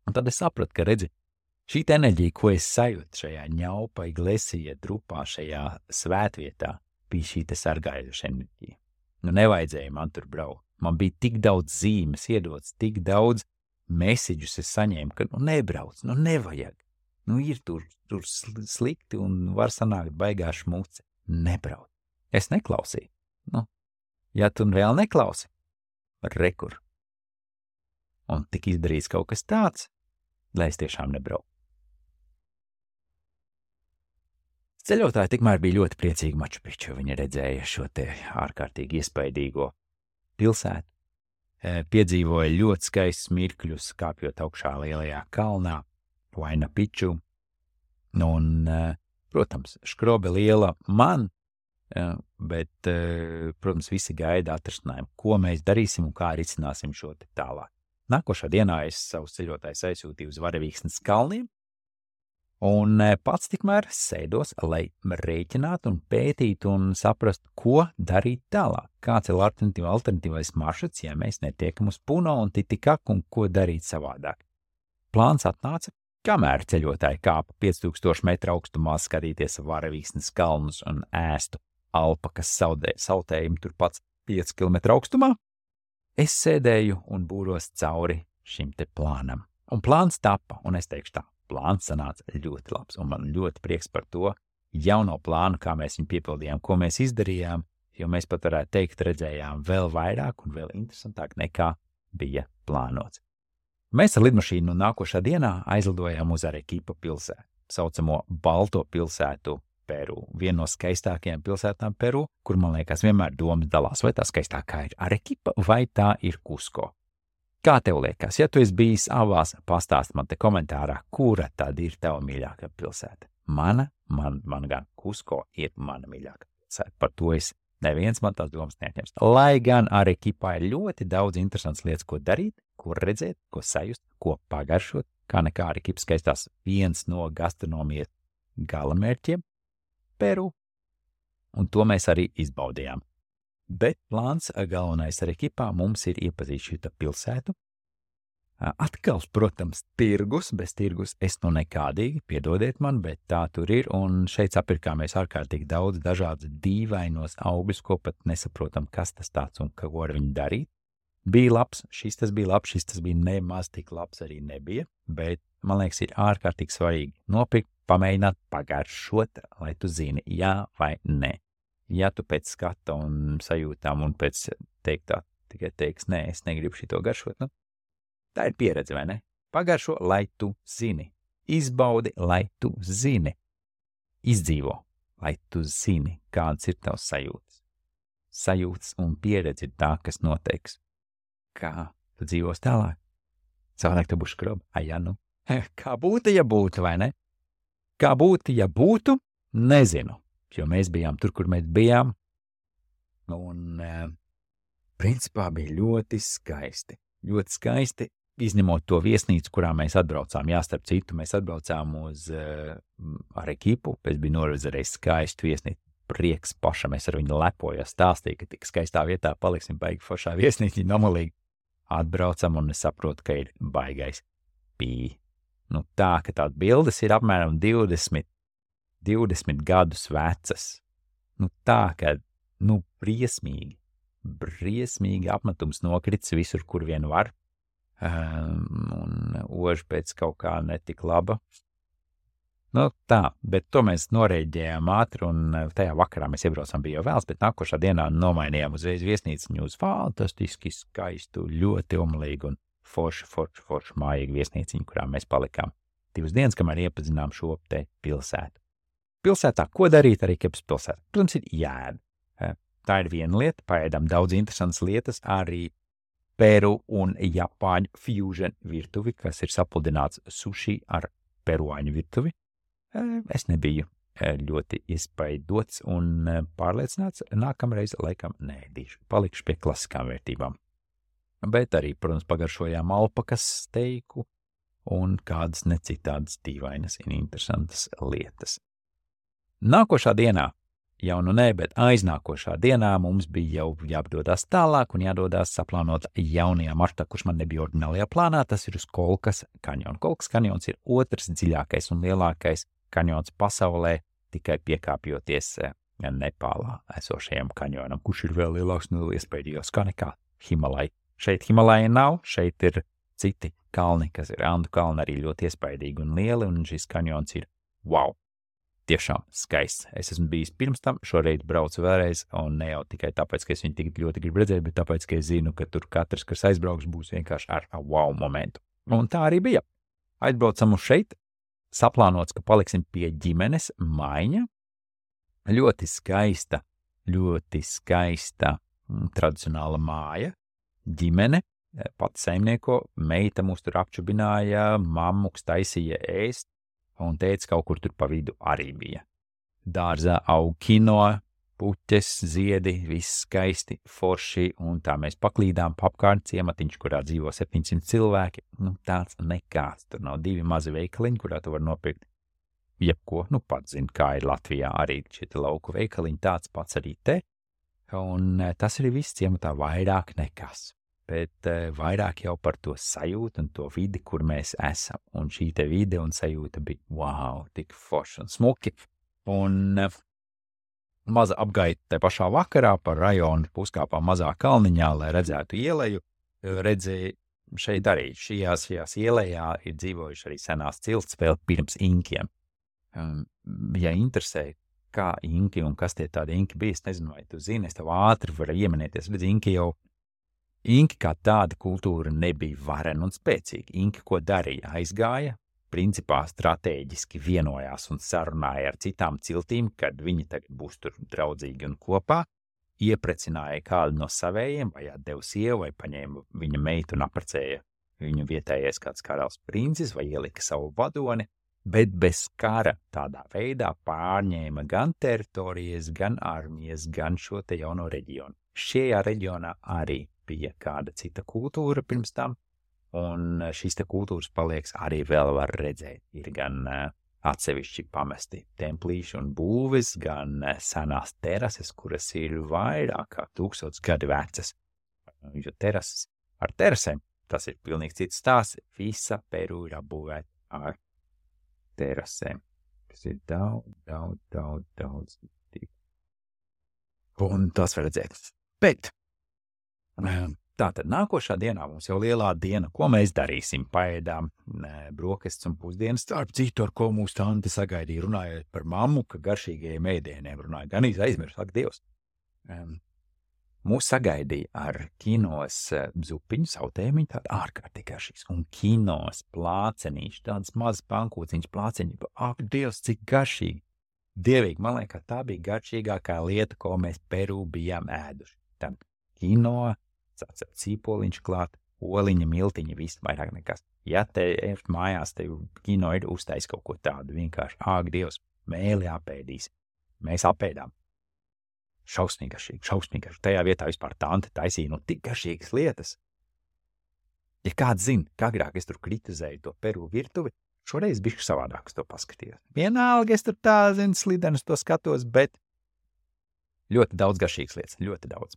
Un tad es sapratu, ka redzi, šī enerģija, ko es sajūtu šajā ņaupa, iglesija, drupā, šajā svētvietā, bija šī te sargājoša enerģija. Nu, nevajadzēja man tur braukt. Man bija tik daudz zīmes iedots, tik daudz mesiģus es saņēmu, ka nu nebrauc, nu nevajag. Nu ir tur slikti un var sanākt baigā šmuce. Nebrauc. Es neklausīju. Nu, ja tu vēl neklausi, rekur. Un tik izdarīts kaut kas tāds, lai es tiešām nebraucu. Ceļotāji tikmēr bija ļoti priecīgi Maču Piču. Viņi redzēja šo te ārkārtīgi iespaidīgo pilsētu. Piedzīvoja ļoti skaistus mirkļus, kāpjot augšā lielajā kalnā, Huayna Piču. Un, protams, škrobe liela man, bet, protams, visi gaida atrisinājumu, ko mēs darīsim un kā risināsim šo te tālāk. Nākošā dienā es savus ceļotājus aizsūtīju uz Varavīksnes kalniem, un pats tikmēr sēdos, lai rēķinātu un pētītu un saprastu, ko darīt tālāk. Kāds ir alternatīvais maršruts, ja mēs netiekam uz Puno un Titikaku un ko darīt savādāk. Plāns atnāca, kamēr ceļotāji kāpa 5000 metru augstumā skatīties Varavīksnes kalnus un ēstu alpakas sautējumu turpat 5 km augstumā, es sēdēju un būros cauri šim te plānam. Un plāns tapa, un es teikšu tā, plāns sanāca ļoti labs, un man ļoti prieks par to jauno plānu, kā mēs viņu piepildījām, ko mēs izdarījām, jo mēs pat varētu teikt, redzējām vēl vairāk un vēl interesantāk nekā bija plānots. Mēs ar lidmašīnu nākošā dienā aizlidojām uz Arequipa pilsētu, saucamo Balto pilsētu Peru, vienu no skaistākajām pilsētām Peru, kur, man liekas, vienmēr domas dalās, vai tā skaistākā ir Arequipa vai tā ir Kusko. Kā tev liekas, ja tu esi bijis abās, pastāst man te komentārā, kura tad ir tava mīļākā pilsēta? Man gan Kusko ir mana mīļākā pilsēta, par to es neviens man tās domas neatņems. Lai gan Arequipā ir ļoti daudz interesants lietas, ko darīt, ko redzēt, ko sajust, ko pagaršot, kā nekā Arequipa skaistās viens no gastronomijas galamērķiem Peru, un to mēs arī izbaudījām. Bet plāns galvenais Arequipā mums ir iepazīt šito pilsētu. Atkal, protams, tirgus, bez tirgus es nu nekādīgi, piedodiet man, bet tā tur ir, un šeit sapirkāmies ārkārtīgi daudz dažādas dīvainos augļus, ko pat nesaprotam, kas tas tāds un ko ar viņu darīt. Bija labs, šis tas bija nemaz tik labs arī nebija, bet, man liekas, ir ārkārtīgi svarīgi nopirkt, pamēģināt, pagaršot, lai tu zini, jā vai nē. Ja tu pēc skata un sajūtām un pēc teiktā tikai teiks, nē, es negribu šito garšot, nu, tā ir pieredze, vai ne? Pagaršo, lai tu zini. Izbaudi, lai tu zini. Izdzīvo, lai tu zini, kāds ir tavs sajūtas. Sajūtas un pieredze ir tā, kas noteiks. Kā tu dzīvos tālāk? Savādāk tu būs škroba. Ja nu. Kā būtu, ja būtu, vai ne? Kā būtu, ja būtu? Nezinu. Jo mēs bijām tur, kur mēs bijām. Un, principā, bija ļoti skaisti. Ļoti skaisti, izņemot to viesnīcu, kurā mēs atbraucām. Jā, starp citu, mēs atbraucām uz Arequipu, pēc bija norezerējis skaistu viesnīcu. Prieks pašam, es ar viņu lepojos, stāstīju, ka tik skaistā vietā paliksim baigi foršā viesnīca, nomulīgi. Atbraucam un es saprotu, ka ir baigais pī. Nu tā, ka tādas bildes ir apmēram 20 gadus vecas. Nu tā, ka, briesmīgi apmetums nokrits visur, kur vien var. un oža pēc kaut kā netik laba. Nu tā, bet to mēs norēģējām ātri, un tajā vakarā mēs iebraucām, bija jau vēls, bet nākošā dienā nomainījām uzreiz viesnīciņu uz fantastiski skaistu, ļoti omlīgu un foršu mājīgu viesnīciņu, kurā mēs palikām 2 dienas, kamēr iepazinām šo te pilsētu. Pilsētā, ko darīt arī Kepas pilsētā? Protams, ir jāēd. Tā ir viena lieta, paēdām daudz interesantas lietas, arī Peru un Japāņu fusion virtuvi, kas ir sapludināts sushi ar peruāņu virtuvi. Es nebiju ļoti iespaidots un pārliecināts, nākamreiz laikam neēdīšu, palikšu pie klasiskām vērtībām. Bet arī, protams, pagaršojām alpakas steiku un kādas necitādas dīvainas un interesantas lietas. Nākošā dienā, jau nu ne, bet aiznākošā dienā mums bija jau jāpdodās tālāk un jādodās saplānot jaunajā maršrutā, kurš man nebija ordinālajā plānā, tas ir uz Kolkas kanjonu. Kolkas kanjons ir otrs dziļākais un lielākais kanjons pasaulē, tikai piekāpjoties Nepālā esošajam kanjonam, kurš ir vēl lielāks un iespējīgāks kā nekā Himalaja. Šeit Himalaja nav, šeit ir citi kalni, kas ir Andu kalni, arī ļoti iespaidīgi un lieli, un šis kanjons ir wow, tiešām skaists. Es esmu bijis pirms tam, šoreiz braucu vēlreiz, un ne jau tikai tāpēc, ka es viņu tik ļoti gribu redzēt, bet tāpēc, ka es zinu, ka tur katrs, kas aizbrauks, būs vienkārši ar wow momentu. Un tā arī bija. Aizbraucam uz šeit, saplānots, ka paliksim pie ģimenes maiņa. Ļoti skaista tradicionāla māja, ģimene, pati saimnieko, meita mūs tur apčubināja, mammuks taisīja ēst, un teica, kaut kur tur pa vidu arī bija. Dārzā aug kinoa, puķes, ziedi, viss skaisti, forši, un tā mēs paklīdām apkārt ciematiņš, kurā dzīvo 700 cilvēki. Nu, tāds nekāds, tur nav 2 mazi veikaliņi, kurā tu var nopirkt jebko, nu pats zini, kā ir Latvijā arī šie lauku veikaliņi, tāds pats arī te, un tas arī viss ciematā vairāk nekas. Bet vairāk jau par to sajūtu un to vidi, kur mēs esam. Un šī te vide un sajūta bija, wow, tik forši un smuki. Un maza apgaita te pašā vakarā par rajonu puskāpā mazā kalniņā, lai redzētu ieleju. Redzēju šeit arī šajās ielējā ir dzīvojuši arī senās cilts vēl pirms inkiem. Ja interesē, kā inki un kas tie tādi inki bija, es nezinu, vai tu zini, es tev ātri varu ieminēties. Redz, Inki kā tāda kultūra nebija varena un spēcīga. Inki, ko darīja, aizgāja, principā stratēģiski vienojās un sarunāja ar citām ciltīm, kad viņi tagad būs tur draudzīgi un kopā, ieprecināja kādu no savējiem, vai atdeva sievu, vai paņēma viņa meitu un apprecēja viņu vietējais kāds karalis princis, vai ielika savu vadoni, bet bez kara tādā veidā pārņēma gan teritorijas, gan armijas, gan šo te jauno reģionu. Šajā reģionā arī bija kāda cita kultūra pirms tam, un šīs te kultūras palieks arī vēl var redzēt. Ir gan atsevišķi pamesti templīši un būvis, gan senās terases, kuras ir vairāk kā 1000 gadi vecas. Jo terases ar terasēm, tas ir pilnīgi cits stāsts, visa Peru ir apbūvēta ar terasēm. Tas ir daudz. Un tas var redzēt. Bet tātad nākošā dienā mums jau lielā diena, ko mēs darīsim? Paēdām brokastis un pusdienas, starp citu, ar ko mūsu tante sagaidīja, runājot par mammu, ka garšīgajiem ēdieniem runāja, gan aizmirst, ak, Dievs. Mūs sagaidīja ar kinos zupiņu, sautēmiņu, tāda ārkārtīgi garšīgs, un kinos plācenīši, tādas mazas pankūciņas plāceņi, ak, Dievs, cik garšīgi. Dievīgi, man liekas, tā bija garšīgākā lieta, ko mēs Peru bijām ēduši. Tad kino, cīpoliņš klāt, oliņa, miltiņa, viss vairāk nekas. Ja te ir mājās, te kino ir uztais kaut ko tādu, vienkārši, āk, Dievs, mēli apēdīs. Mēs apēdām. Šausmīgi garšīgi. Tajā vietā vispār tante taisīja, nu, tik garšīgas lietas. Ja kāds zina, kā agrāk es tur kritizēju to Peru virtuvi, šoreiz bišķi savādāk to paskatījos. Vienalga, es tur tā, zinu, slidenus to skatos, bet ļoti daudz garšīgas lietas, ļoti daudz.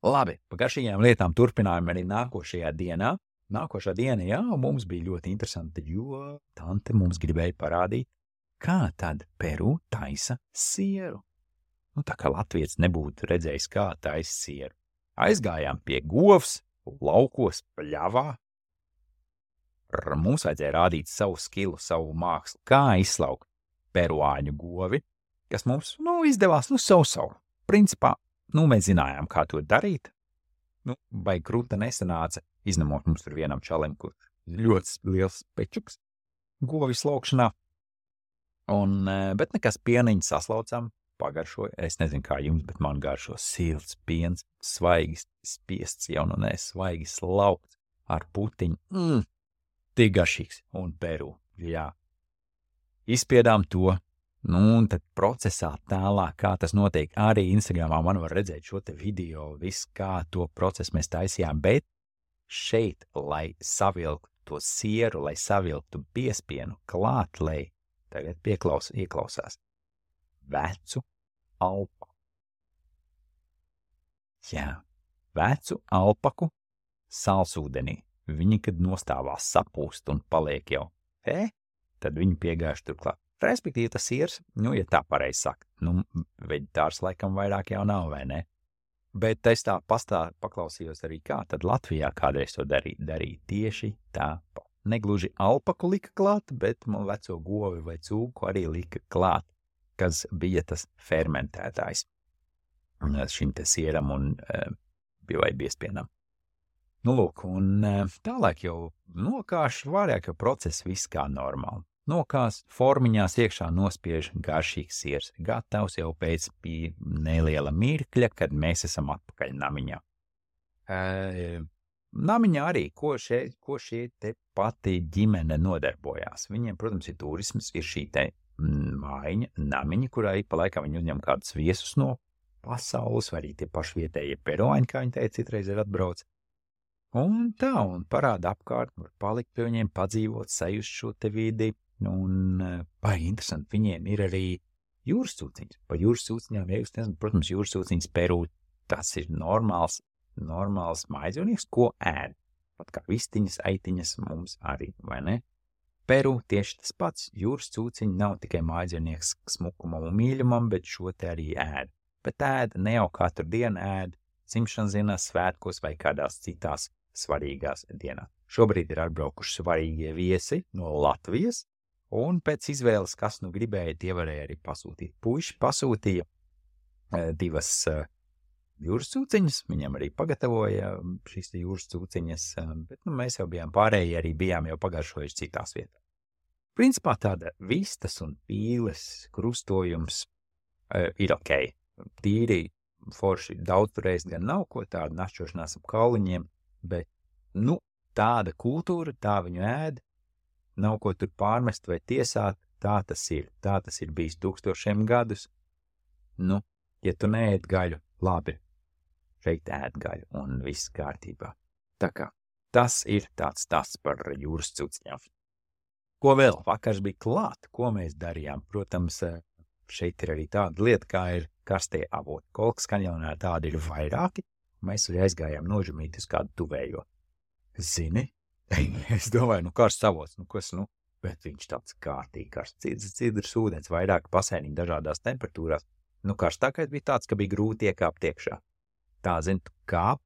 Labi, pa garšīgajām lietām turpinājām arī nākošajā dienā. Nākošā diena, jā, mums bija ļoti interesanti, jo tante mums gribēja parādīt, kā tad Peru taisa sieru. Nu, tā kā latvietis nebūtu redzējis, kā taisa sieru. Aizgājām pie govs laukos, pļavā. Mums vajadzēja rādīt savu skilu, savu mākslu, kā izslaukt peruāņu govi, kas mums, izdevās, savu. Principā, mēs zinājām, kā to darīt. Vai krūta nesanāca, izņemot mums tur vienam čalim, kur ļoti liels pečuks govi slaukšanā. Bet nekas pieniņu saslaucam, pagaršoja. Es nezinu, kā jums, bet man garšo silts piens, svaigi spiests, svaigi slaukts ar putiņu. Tik garšīgs un Peru, jā. Izspiedām to, un tad procesā tālāk, kā tas notiek, arī Instagramā man var redzēt šo te video, viss kā to procesu mēs taisījām, bet šeit, lai savilktu to sieru, lai savilktu biespienu klāt, lai tagad ieklausās vecu alpaku. Jā, vecu alpaku salsūdenī. Viņi, kad nostāvās sapūst un paliek jau, tad viņi piegājuši turklāt. Respektīvi tas siers, ja tā pareizi saka, veģetārs laikam vairāk jau nav, vai ne? Bet es tā paklausījos arī kā, tad Latvijā kādreiz to darīja tieši tāpat. Negluži alpaku lika klāt, bet man veco govi vai cūku arī lika klāt, kas bija tas fermentētājs šim te sieram un vai biespienam. Lūk, un tālāk jau nokāš, vairāk jau process viss kā normāli. Nokās, formiņās iekšā nospiež garšīgs siers, gatavs jau pēc neliela mirkļa, kad mēs esam atpakaļ namiņā. Namiņā arī, ko šie te pati ģimene nodarbojās. Viņiem, protams, ir turisms, ir šī te mājiņa, namiņa, kurā ik pa laikam viņi uzņem kādus viesus no pasaules, vai arī tie paši vietējie peruāņi, kā viņi teica, citreiz ir atbrauc. Un parāda apkārt, var palikt pie viņiem, padzīvot, sajust šo te vidi, un baigi interesanti, viņiem ir arī jūras cūciņas. Par jūras cūciņām, ja jūs nezināt, protams, jūras cūciņas Peru, tas ir normāls mājdzīvnieks, ko ēd. Pat kā vistiņas, aitiņas mums arī, vai ne? Peru tieši tas pats, jūras cūciņi nav tikai mājdzīvnieks smukumam un mīļumam, bet šo te arī ēd. Bet ēd ne jau katru dienu ēd, dzimšanas dienās, svētkos vai kādās citās svarīgās dienās. Šobrīd ir atbraukuši svarīgie viesi no Latvijas, un pēc izvēles, kas gribēja, tie varēja arī pasūtīt. Puiši pasūtīja 2 jūras cūciņas, viņam arī pagatavoja šīs jūras cūciņas, bet mēs jau bijām pārējie, arī bijām jau pagaršojuši citās vietās. Principā tāda vistas un pīles krustojums ir ok. Tīri forši daudzreiz gan nav ko tādu našķošanās ap kauliņiem, bet, tāda kultūra, tā viņu ēd, nav ko tur pārmest vai tiesāt, tā tas ir. Tā tas ir bijis 1000 gadus. Ja tu neēd gaļu, labi, šeit ēd gaļu un viss kārtībā. Tā kā tas ir tāds par jūras cūciņām. Ko vēl? Vakars bija klāt, ko mēs darījām? Protams, šeit ir arī tāda lieta, kā ir karstie avoti. Kolkas kanjonā tādi ir vairāki. Mēs arī aizgājām nožumīt uz kādu tuvējo. Zini? Es domāju, karsts avots, bet viņš tāds kārtīgi karsts. Cidrs ūdens, vairāk pasēniņi dažādās temperatūrās. Karstākais bija tāds, ka bija grūti iekāpt iekšā. Tā, tu kāp,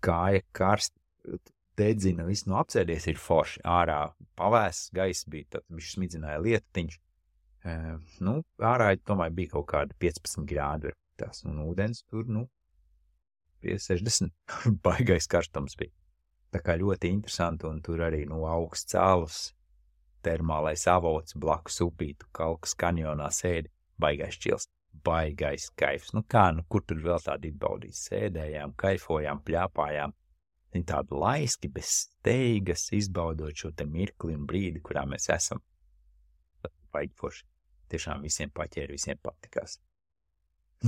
kāja karst, dedzina, viss apsēdies ir forši. Ārā pavēss, gaiss bija, tad viņš smidzināja lietiņš. Ārā, tomēr bija kaut kāda 15 grādu. Tas, un ūdens tur, pie 60. Baigais karstums bija. Tā kā ļoti interesanti, un tur arī augsts cēlus, termālais avots, blakus upītu, Kalkas kanjonā sēdi, baigais čils, baigais kaifs. Kur tur vēl tādi izbaudīs? Sēdējām, kaifojām, pļāpājām. Viņi tādi laiski, bez steigas, izbaudot šo te mirkli un brīdi, kurā mēs esam. Baigi forši. Tiešām visiem paķēri, visiem patikās.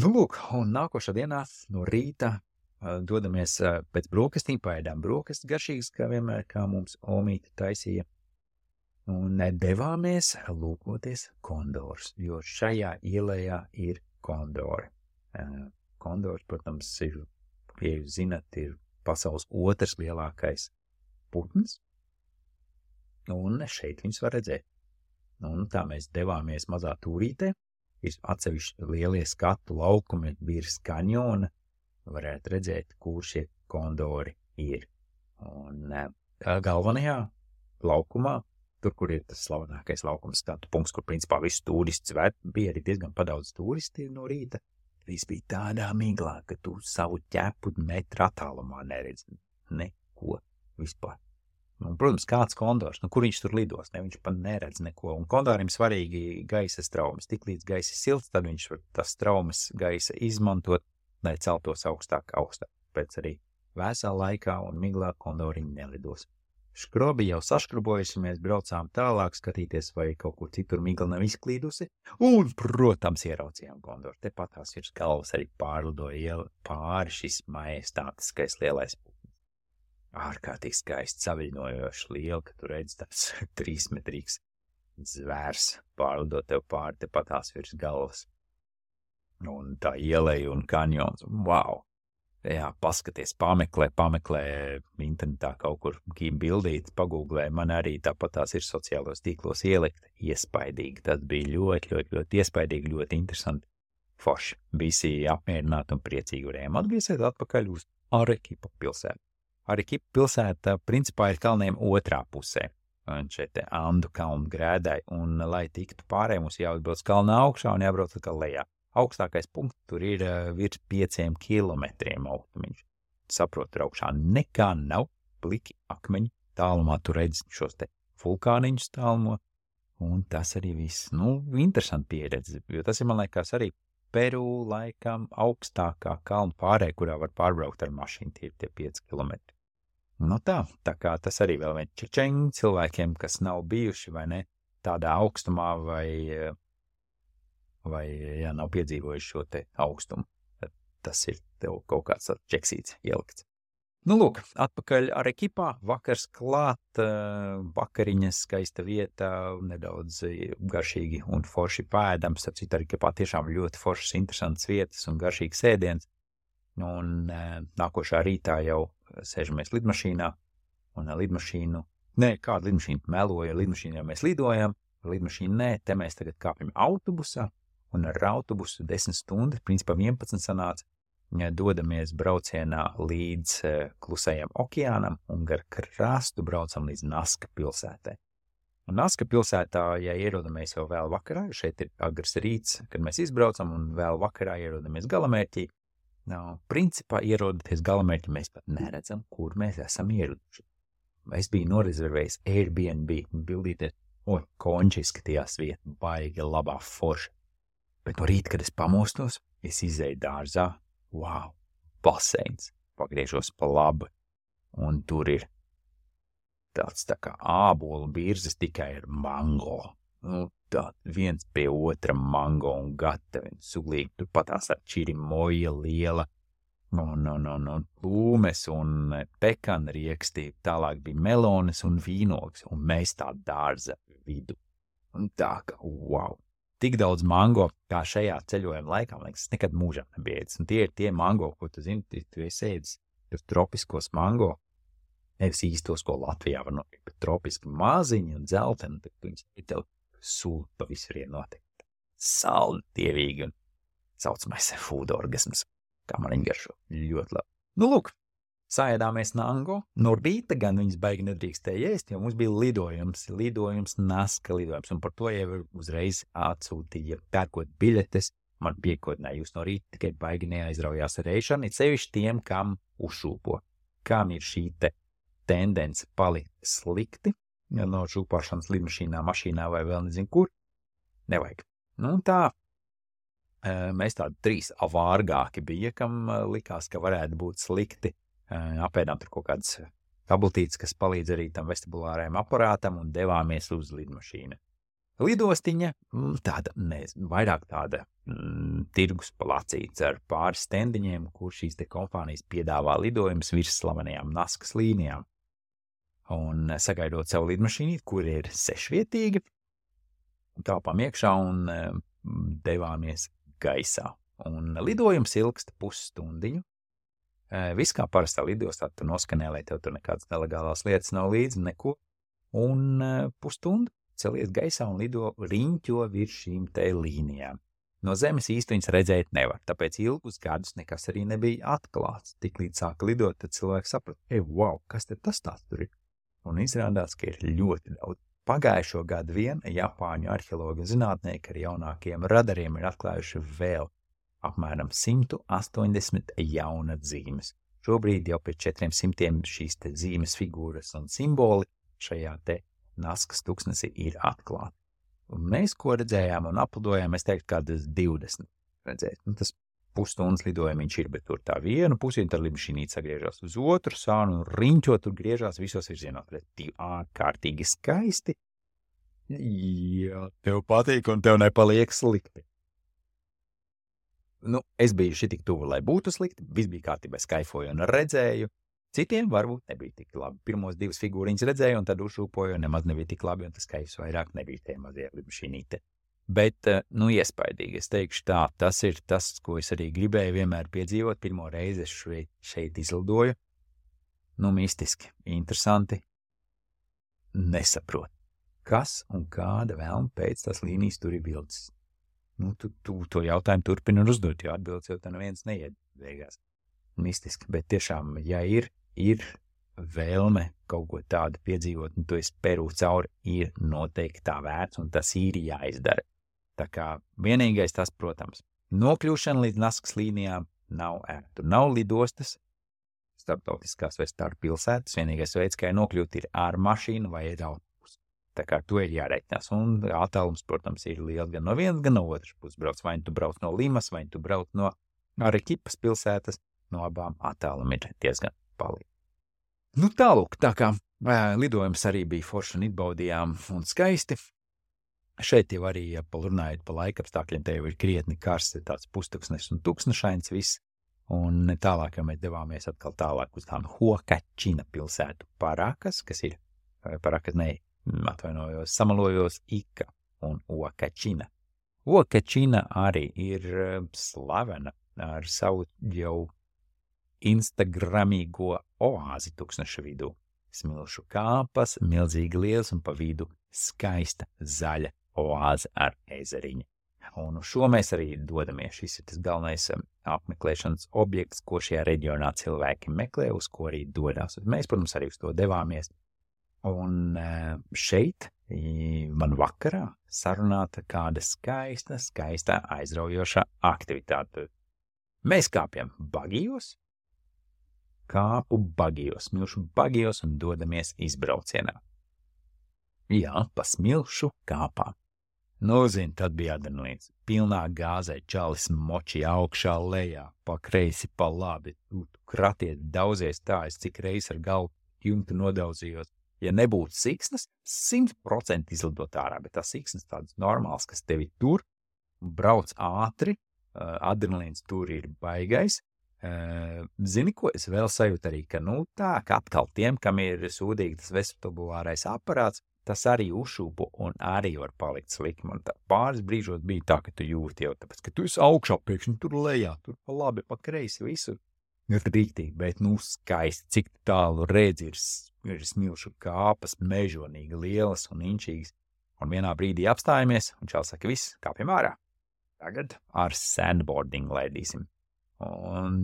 Lūk, un nākošā dienā no rīta dodamies pēc brokastīm, paēdām brokastis garšīgas, kā vienmēr, kā mums omīte taisīja. Un devāmies lūkoties kondors, jo šajā ielējā ir kondori. Kondors, protams, ir, ja jūs zināt, ir pasaules otrs lielākais putns, un šeit viņus var redzēt. Un tā mēs devāmies mazā tūrītē, ir atsevišķi lielie skatu laukumi virs kanjona, varētu redzēt, kur šie kondori ir. Un galvenajā laukumā, tur, kur ir tas slavenākais laukums, tāds punkts, kur principā visus turists ved, bija arī diezgan padaudz turisti no rīta. Viss bija tādā miglā, ka tu savu ķepu metru attālumā neredzi neko vispār. Un, protams, kāds kondors, kur viņš tur lidos, viņš pat neredz neko. Un kondorim svarīgi gaisa straumes. Tik līdz gaisa silts, tad viņš var tas straumes gaisa izmantot, lai celtos augstāk. Pēc arī vēsā laikā un miglā kondori nelidos. Škrobi jau saškrobojuši, mēs braucām tālāk skatīties, vai kaut kur citur migla nav izklīdusi. Un, protams, ieraucījām kondoru. Tepat tās virs galvas arī pārlidoja pāri šis majestātiskais lielais putns. Ārkārtīgi skaisti saviļņojoši liela, ka tu redzi tāds 3-metrīgs zvērs pārlidot tev pāri tepat tās virs galvas. Un tā ieleja un kanjons. Wow! Jā, paskaties, pameklē internetā kaut kur bildīt, pagūglē, man arī tāpat tās ir sociālos tīklos ielikt. Iespaidīgi, tas bija ļoti iespaidīgi, ļoti interesanti. Forši, visi apmierināti un priecīgi varējām atgriezties atpakaļ uz Arequipa pilsētu. Arequipa pilsēta principā ir kalniem otrā pusē. Un šeit Andu kalnu grēdai, un lai tiktu pārējai, mums jāatbrauc kalnā augšā un jābrauc atkal lejā. Augstākais punkts tur ir virs 5 kilometriem augstumiņš. Saprot, tur augšā nekā nav, pliki akmeņi, tālumā tu redzi šos te vulkāniņus tālumo, un tas arī viss. Interesanti pieredze, jo tas ir, man liekas, arī Peru laikam augstākā kalnu pārēja, kurā var pārbraukt ar mašīnu, tie 5 kilometri. Tā kā tas arī vēl vien čečeņi cilvēkiem, kas nav bijuši vai ne tādā augstumā vai nav piedzīvojuši šo te augstumu. Tas ir tev kaut kāds čeksīts ielikts. Lūk, atpakaļ Arequipā, vakars klāt, vakariņas, skaista vieta, nedaudz garšīgi un forši pēdams. Starp citu, Arequipā tiešām ļoti foršas, interesantas vietas un garšīgs ēdiens. Un nākošā rītā jau sēžamies lidmašīnā, un kādu lidmašīnu meloja, lidmašīnu jau mēs lidojam, lidmašīnu te mēs tagad kāpjam autobusā, un ar autobusu 10 stundas, principā 11 sanāca, dodamies braucienā līdz Klusajam okeānam un gar krastu braucam līdz Naska pilsētai. Un Naska pilsētā, ja ierodamies jau vēl vakarā, šeit ir agrs rīts, kad mēs izbraucam, un vēl vakarā ierodamies galamērķī, principā ierodaties galamērķi, mēs pat neredzam, kur mēs esam ieraduši. Es biju norezervējis Airbnb, bildīties, konči izskatījās vieta, baigi labā forša. Bet no rīta, kad es pamostos, es izēju dārzā, wow, baseins, pagriežos pa labi, un tur ir tāds tā kā ābolu birzes tikai ar mango. Tā viens pie otra mango un gatavi, suglīgi, tur patās ar čirimoja liela, un plūmes un pekana riekstī, tālāk bija melones un vīnogs, un mēs tā dārza vidu. Un tā kā, wow! Tik daudz mango, kā šajā ceļojuma laikā, man liekas, nekad mūžā nebija ēdis. Un tie ir tie mango, ko tu zini, tu esi ēdis, tur tropiskos mango, nevis īstos, ko Latvijā var nopirkt, bet tropiski maziņi un dzelteni, tad viņas ir tev sūta visur notikt. Saldi, dievīgi un saucamais food orgasms, kā man viņi garšo, ļoti labi. Lūk, saēdāmies nango, no rīta gan viņas baigi nedrīkstēja ēst, jo mums bija lidojums, Naska lidojums, un par to jau uzreiz atsūtīja pērkot biļetes, man piekodināja jūs no rīta, tikai baigi neaizraujās ar ēšanu, it sevišķi tiem, kam uzšūpo, kam ir šī te tendence palikt slikti, ja no šūpošanas lidmašīnā, mašīnā vai vēl nezinu kur, nevajag. Tā, mēs tādi 3 avārgāki bija, kam likās, ka varētu būt slikti. Apēdām tur kaut kādas tabletītes, kas palīdz arī tam vestibulārajam aparātam un devāmies uz lidmašīnu. Lidostiņa, vairāk tāda tirgus placīts ar pāris stendiņiem, kur šīs te kompānijas piedāvā lidojumus virs slavenajām Naskas līnijām. Un sagaidot savu lidmašīnu, kur ir 6-vietīga, tāpām iekšā un devāmies gaisā. Un lidojums ilgst pusstundiņu. Viss kā parastā lidostā, tu noskanē, lai tev tur nekādas nelegālās lietas nav līdzi, neko. Un pusstundu celies gaisā un lido riņķo virs šīm te līnijām. No zemes īsti viņas redzēt nevar, tāpēc ilgus gadus nekas arī nebija atklāts. Tiklīdz sāka lidot, tad cilvēks saprata, wow, kas tad tas tāds tur ir? Un izrādās, ka ir ļoti daudz. Pagājušo gadu vien Japāņu arheologi un zinātnieki ar jaunākiem radariem ir atklājuši vēl apmēram 180 jauna zīmes. Šobrīd jau pēc 400 šīs te zīmes figūras un simboli šajā te Naskas tuksnesī ir atklāti. Un mēs, ko redzējām un aplidojām, es teiktu, kādas 20 redzēt. Tas pusstundas lidojumiņš ir, bet tur tā vienu pusi, un tad lidmašīnīte sagriežās uz otru sānu, un riņķot tur griežās visos virzienos. Ārkārtīgi skaisti. Jā, tev patīk, un tev nepaliek slikti. Es biju šitik tuvu, lai būtu slikti, viss bija kārtībā, skaifoju un redzēju. Citiem varbūt nebija tik labi. Pirmos 2 figūriņas redzēju, un tad uzšūpoju, un nemaz nebija tik labi, un tas skaifs vairāk nebija tie mazie lidmašīnīte. Bet, iespaidīgi, es teikšu tā, tas ir tas, ko es arī gribēju vienmēr piedzīvot. Pirmo reizi es šeit izlidoju. Mistiski, interesanti. Nesaprotu, kas un kāda vēlme pēc tās līnijas tur ir bildes. Tu to jautājumu turpini un uzdot, jo atbildes jau tā neviens neied beigās. Mistiski, bet tiešām, ja ir vēlme kaut ko tādu piedzīvot, un tu esi Peru cauri, ir noteikti tā vērts, un tas ir jāizdara. Tā kā vienīgais tas, protams, nokļūšana līdz Naskas līnijām nav ērta. Tur nav lidostas, starptautiskās vai starppilsētas, vienīgais veids, kā nokļūt, ir ar mašīnu vai ar autobusu. Tā kā to ir jāreikinās, un attālums, protams, ir liels gan no vienas, gan no otras puses brauc. Vai tu brauc no Limas, vai tu brauc no Arequipas pilsētas, no abām attālumi ir diezgan palīgi. Tālūk, tā kā lidojums arī bija forši un izbaudījām un skaisti. Šeit jau arī, ja runājot pa laikapstākļiem, te jau ir krietni karsts, tāds pustuksnes un tuksnešains viss. Un tālāk, ja mēs devāmies atkal tālāk uz tām Huacačina pilsētu Parakas, kas ir, Parakas, atvainojos, samalojos Ika un Huacačina. Huacačina arī ir slavena ar savu jau instagramīgo oāzi tuksneša vidū. Smilšu kāpas, milzīgi liels un pa vidu skaista zaļa oāze ar ezeriņu. Un uz šo mēs arī dodamies. Šis ir tas galvenais apmeklēšanas objekts, ko šajā reģionā cilvēki meklē, uz ko arī dodās. Mēs, protams, arī uz to devāmies. Un šeit man vakarā sarunāta kāda skaista aizraujošā aktivitāte. Mēs kāpjam bagijos, smilšu bagijos un dodamies izbraucienā. Jā, pa smilšu kāpām. Tad bija adrenalīns. Pilnā gāzē čalis moči augšā lejā, pa kreisi, pa labi. Tu kratiet daudzies tā, es cik reiz ar galvu jumtu nodaudzījos. Ja nebūtu siksnas, 100% izlidot ārā, bet tā siksnas tāds normāls, kas tevi tur brauc ātri, adrenalīns tur ir baigais. Zini, ko es vēl sajūtu arī, ka ka atkal tiem, kam ir sūdīgi tas vestibulārais aparāts, tas arī uzšūpo un arī var palikt slikti. Un tā pāris brīžos bija tā, ka tu jūti jau, tāpēc, ka tu esi augšā pēkšņi tur lejā, tur pa labi, pa kreisi, visur. Rīktīgi, bet skaisti, cik tālu redz ir smilšu kāpas, mežonīgi lielas un inčīgas. Un vienā brīdī apstājamies, un čāls saka, viss, kāpjam ārā. Tagad ar sandboarding laidīsim. Un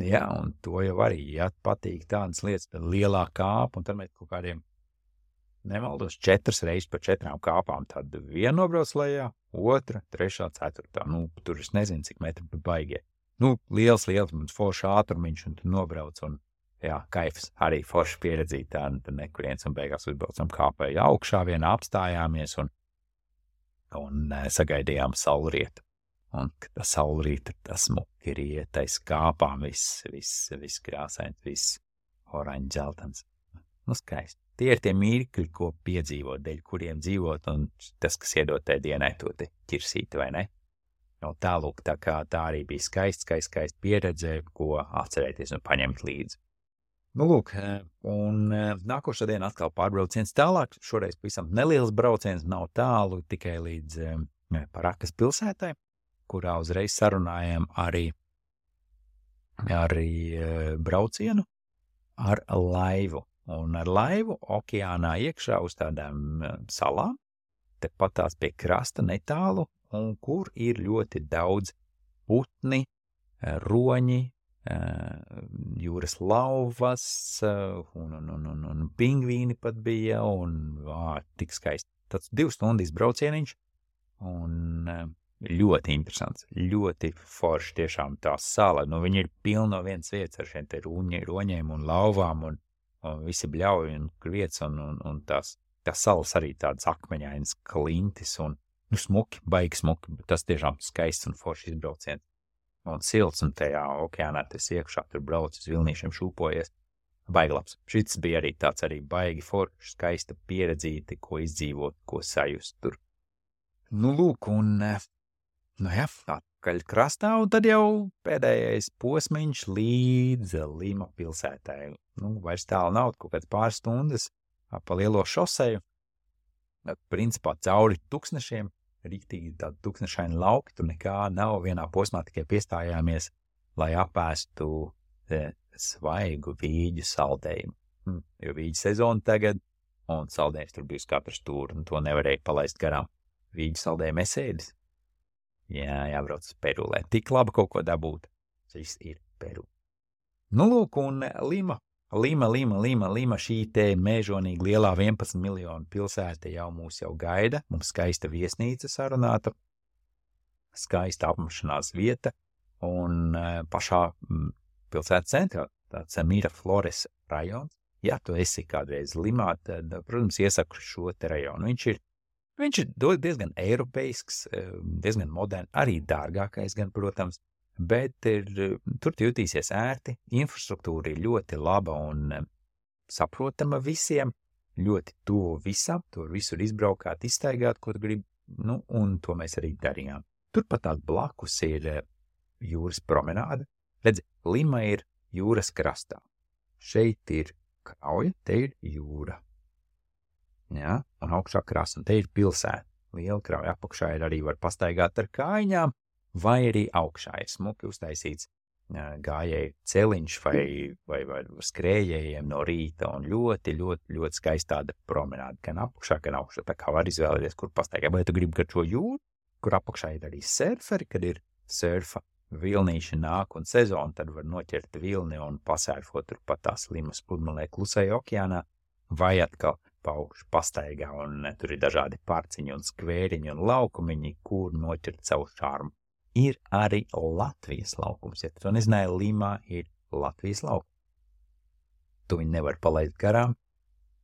to jau arī, ja patīk tādas lietas, tad lielā kāpa, un tad mēs kaut kādiem, nemaldos, 4 reizes pa 4 kāpām, tad viena nobrauc lejā, 2, 3, 4. Tur es nezinu, cik metri pa baigie. Liels, mums forši ātrumiņš, un tu nobrauc, un kaifs arī forši pieredzīt tādu nekuriens, un beigās uzbraucam kāpēju augšā, vienā apstājāmies, un sagaidījām saulrietu. Un tā saulrīta, tas smuki rietais kāpām, viss krāsains, viss oranžs, dzeltens. Skaisti. Tie ir tie mirkļi, ko piedzīvot, dēļ kuriem dzīvot, un tas, kas iedod tai dienai to te ķirsīti, vai ne? Tālūk, tā kā tā arī bija skaisti pieredze, ko atcerēties un paņemt līdzi. Un nākošā diena atkal pārbrauciens tālāk, šoreiz pavisam neliels brauciens, nav tālu, tikai līdz Parakas pilsētai, kurā uzreiz sarunājām arī braucienu ar laivu. Un ar laivu okeānā iekšā uz tādām salām, tepat tās pie krasta netālu, un kur ir ļoti daudz putni, roņi, jūras lauvas, un pingvīni pat bija, un tik skaisti. Tāds 2 stundu izbraucieniņš, un ļoti interesants, ļoti forši tiešām tā sala. Viņi ir pilni no vienas vietas ar šiem te roņiem un lauvām, un visi bļauji un vietas, un tās salas arī tādas akmeņainas klintis, un smuki, baigi smuki, bet tas tiešām skaists un forši izbrauciens. Un silts, un tajā okeānā tas iekšā tur brauc uz vilnīšiem šūpojies. Baigi labs. Šis bija arī tāds arī baigi forši, skaista pieredzīti, ko izdzīvot, ko sajust tur. Lūk, un atpakaļ krastā, un tad jau pēdējais posmiņš līdz Lima pilsētai. Vairs tālu nav, kaut kāds pāris stundas pa lielo šoseju. Principā cauri tuksnešiem, riktīgi tādi tuksnešaini lauki, tur nekā nav, vienā posmā tikai piestājāmies, lai apēstu svaigu vīģu saldējumu. Jo vīģu sezona tagad, un saldējums tur bija uz katru stūri, un to nevarēja palaist garām. Vīģu saldējumu esēdis. Jā, jābrauc uz Peru, lai tik labi kaut ko dabūt. Šis ir Peru. Lūk, un Lima, šī te mēžonīgi lielā 11 miljonu pilsēta mūs jau gaida. Mums skaista viesnīca sarunāta, skaista apmešanās vieta, un pašā pilsētas centrā tāds Miraflores rajons. Ja tu esi kādreiz Limā, tad, protams, iesaku šo te rajonu. Viņš ir diezgan eiropeisks, diezgan modern, arī dārgākais gan, protams, bet tur jutīsies ērti, infrastruktūra ir ļoti laba un saprotama visiem, ļoti tuvu visam, tur visur izbraukāt, izstaigāt, ko tu gribi, un to mēs arī darījām. Turpat tās blakus ir jūras promenāde. Redzi, Lima ir jūras krastā. Šeit ir krauja, te ir jūra. Jā, un augšā krasta, un te ir pilsēta. Liela krauja apakšā ir arī var pastaigāt ar kājiņām, vai arī augšā ir smuki uztaisīts gājēju celiņš vai skrējējiem no rīta, un ļoti, ļoti, ļoti skaista tāda promenāde, gan apakšā, gan augšā, tā kā var izvēlēties, kur pastaigāt. Vai tu gribi gar šo jūru, kur apakšā ir arī surferi, kad ir surfa vilnīši nāk un sezona, tad var noķert vilni un pasērfot tur pat tās Limas pludmalē klusajā okeānā, vai atkal paukšu pastaigā, un tur ir dažādi parciņi un skvēriņi un laukumiņi, kur noķert savu šārmu. Ir arī Latvijas laukums. Ja tu nezināji, Limā ir Latvijas laukums. Tu viņu nevar palaist garām,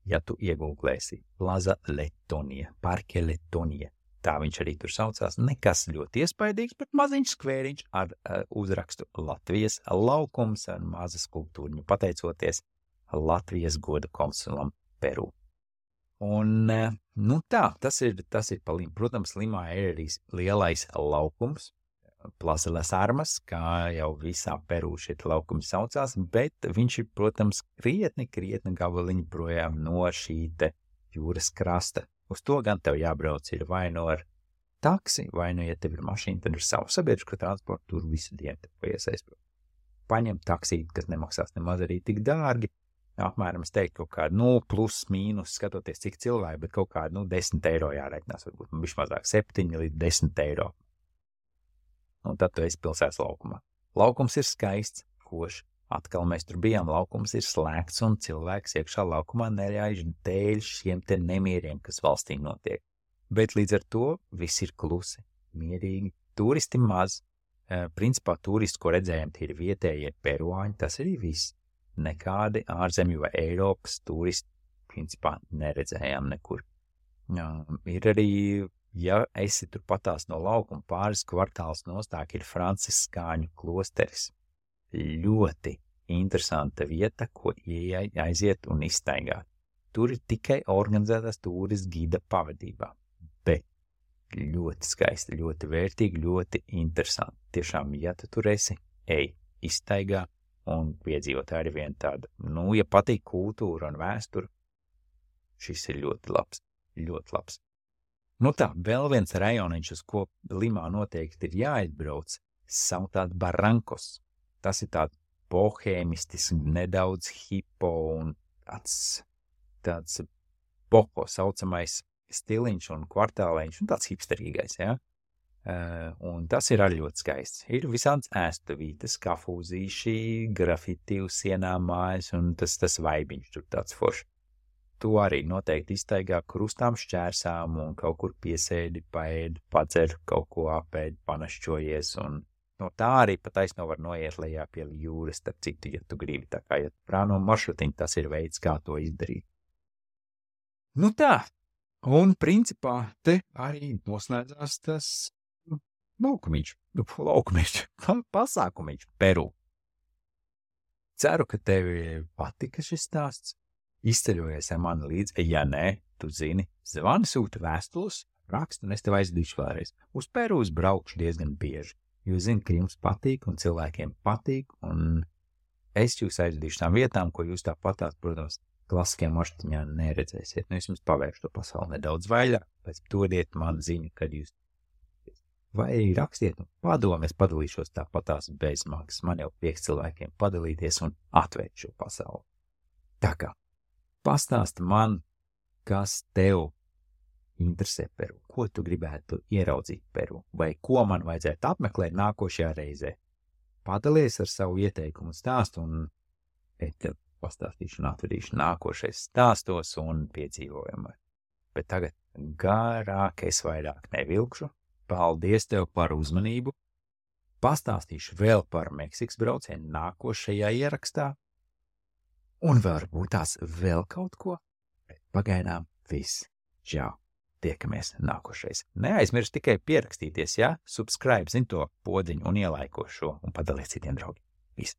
ja tu iegūglēsi Plaza Letonia, Parke Letonia. Tā viņš arī tur saucās. Nekas ļoti iespaidīgs, bet maziņš skvēriņš ar uzrakstu Latvijas laukums ar maza skulptūriņu, pateicoties Latvijas goda konsulam Peru. Un, tas ir pa Limu. Protams, Limā ir arī lielais laukums, Plaza Las Armas, kā jau visā Peru šeit laukums saucās, bet viņš ir, protams, krietni gabaliņi projām no šī te jūras krasta. Uz to gan tev jābrauc ir vai no ar taksi, vai no, ja tev ir mašīna, tad ir savu sabiedrisko transportu, tur visu dienu tev iesaistīt. Paņem taksīt, kas nemaksās nemaz arī tik dārgi. Apmēram es teiktu kaut kādu 0 plus mīnus, skatoties cik cilvēki, bet kaut kādu 10 eiro jāreikinās, varbūt bišķi mazāk 7 līdz 10 eiro. Un tad tu esi pilsētas laukumā. Laukums ir skaists, košs. Atkal mēs tur bijām, laukums ir slēgts un cilvēks iekšā laukumā neļauj dēļ šiem te nemieriem, kas valstī notiek. Bet līdz ar to viss ir klusi, mierīgi, turisti maz. Principā turisti, ko redzējām, tie ir vietējie peruāņi, tas arī viss. Nekādi ārzemju vai Eiropas turisti principā neredzējām nekur. Ir arī, ja esi tur patās no laukuma pāris kvartāls nostāk, ir franciskāņu klosteris. Ļoti interesanta vieta, ko aiziet un izstaigāt. Tur ir tikai organizētās turistu gida pavadībā, bet ļoti skaisti, ļoti vērtīgi, ļoti interesanti. Tiešām, ja tu tur esi, izstaigā un piedzīvot arī vienu tādu, ja patīk kultūra un vēsture, šis ir ļoti labs, ļoti labs. Vēl viens rajoniņš, uz ko Limā noteikti ir jāizbrauc, saucās Barrancos. Tas ir tāds bohēmistisks, nedaudz hipo un tāds boho saucamais stiliņš un kvartālēņš un tāds hipsterīgais, ja? Un tas ir arī ļoti skaists. Ir visādas ēstuvītes, kafūzīši, grafiti uz sienām mājas, un tas vaibiņš tur tāds foršs. Tu arī noteikti iztaigā krustām šķērsām un kaut kur piesēdi, paēdi, padzer, kaut ko apēdi, panašķojies, un no tā arī pa taisno var noiet lejā pie jūras, starp citu, ja tu gribi, tā kā, ja prāno maršrutiņu, tas ir veids, kā to izdarīt. Nu tā, un principā te arī noslēdzās tas laukumiņš, pasākumiņš Peru. Ceru, ka tevi patika šis stāsts. Izceļojies ar mani līdzi, ja nē, tu zini, zvani sūta vēstules, rakstu, un es tev aizdīšu vēlreiz. Uz Peru braukšu diezgan bieži, jo zinu, ka jums patīk, un cilvēkiem patīk, un es jūs aizdīšu tām vietām, ko jūs tāpatās, protams, klasiskiem maršrutiņā neredzēsiet. Nu, es jums pavēršu to pasauli nedaudz vaļāk, pēc dodiet man ziņu, kad jūs vai rakstiet un padomu, es padalīšos tāpatās bez maksas. Man jau prieks cilvēkiem padalīties un atvērt šo pasauli. Tā kā pastāsti man, kas tev interesē Peru, ko tu gribētu ieraudzīt Peru, vai ko man vajadzētu apmeklēt nākošajā reizē. Padalies ar savu ieteikumu stāstu, un es tev pastāstīšu un atvedīšu nākošais stāstos un piedzīvojumā. Bet tagad garāk es vairāk nevilkšu. Paldies tev par uzmanību. Pastāstīšu vēl par Meksikas braucienu nākošajā ierakstā. Un varbūt tās vēl kaut ko, bet pagaidām viss. Čau, tiekamies nākošais. Neaizmirst tikai pierakstīties, ja? Subscribe, zin to podziņu un ielaiko šo un padaliet citiem draugiem. Viss.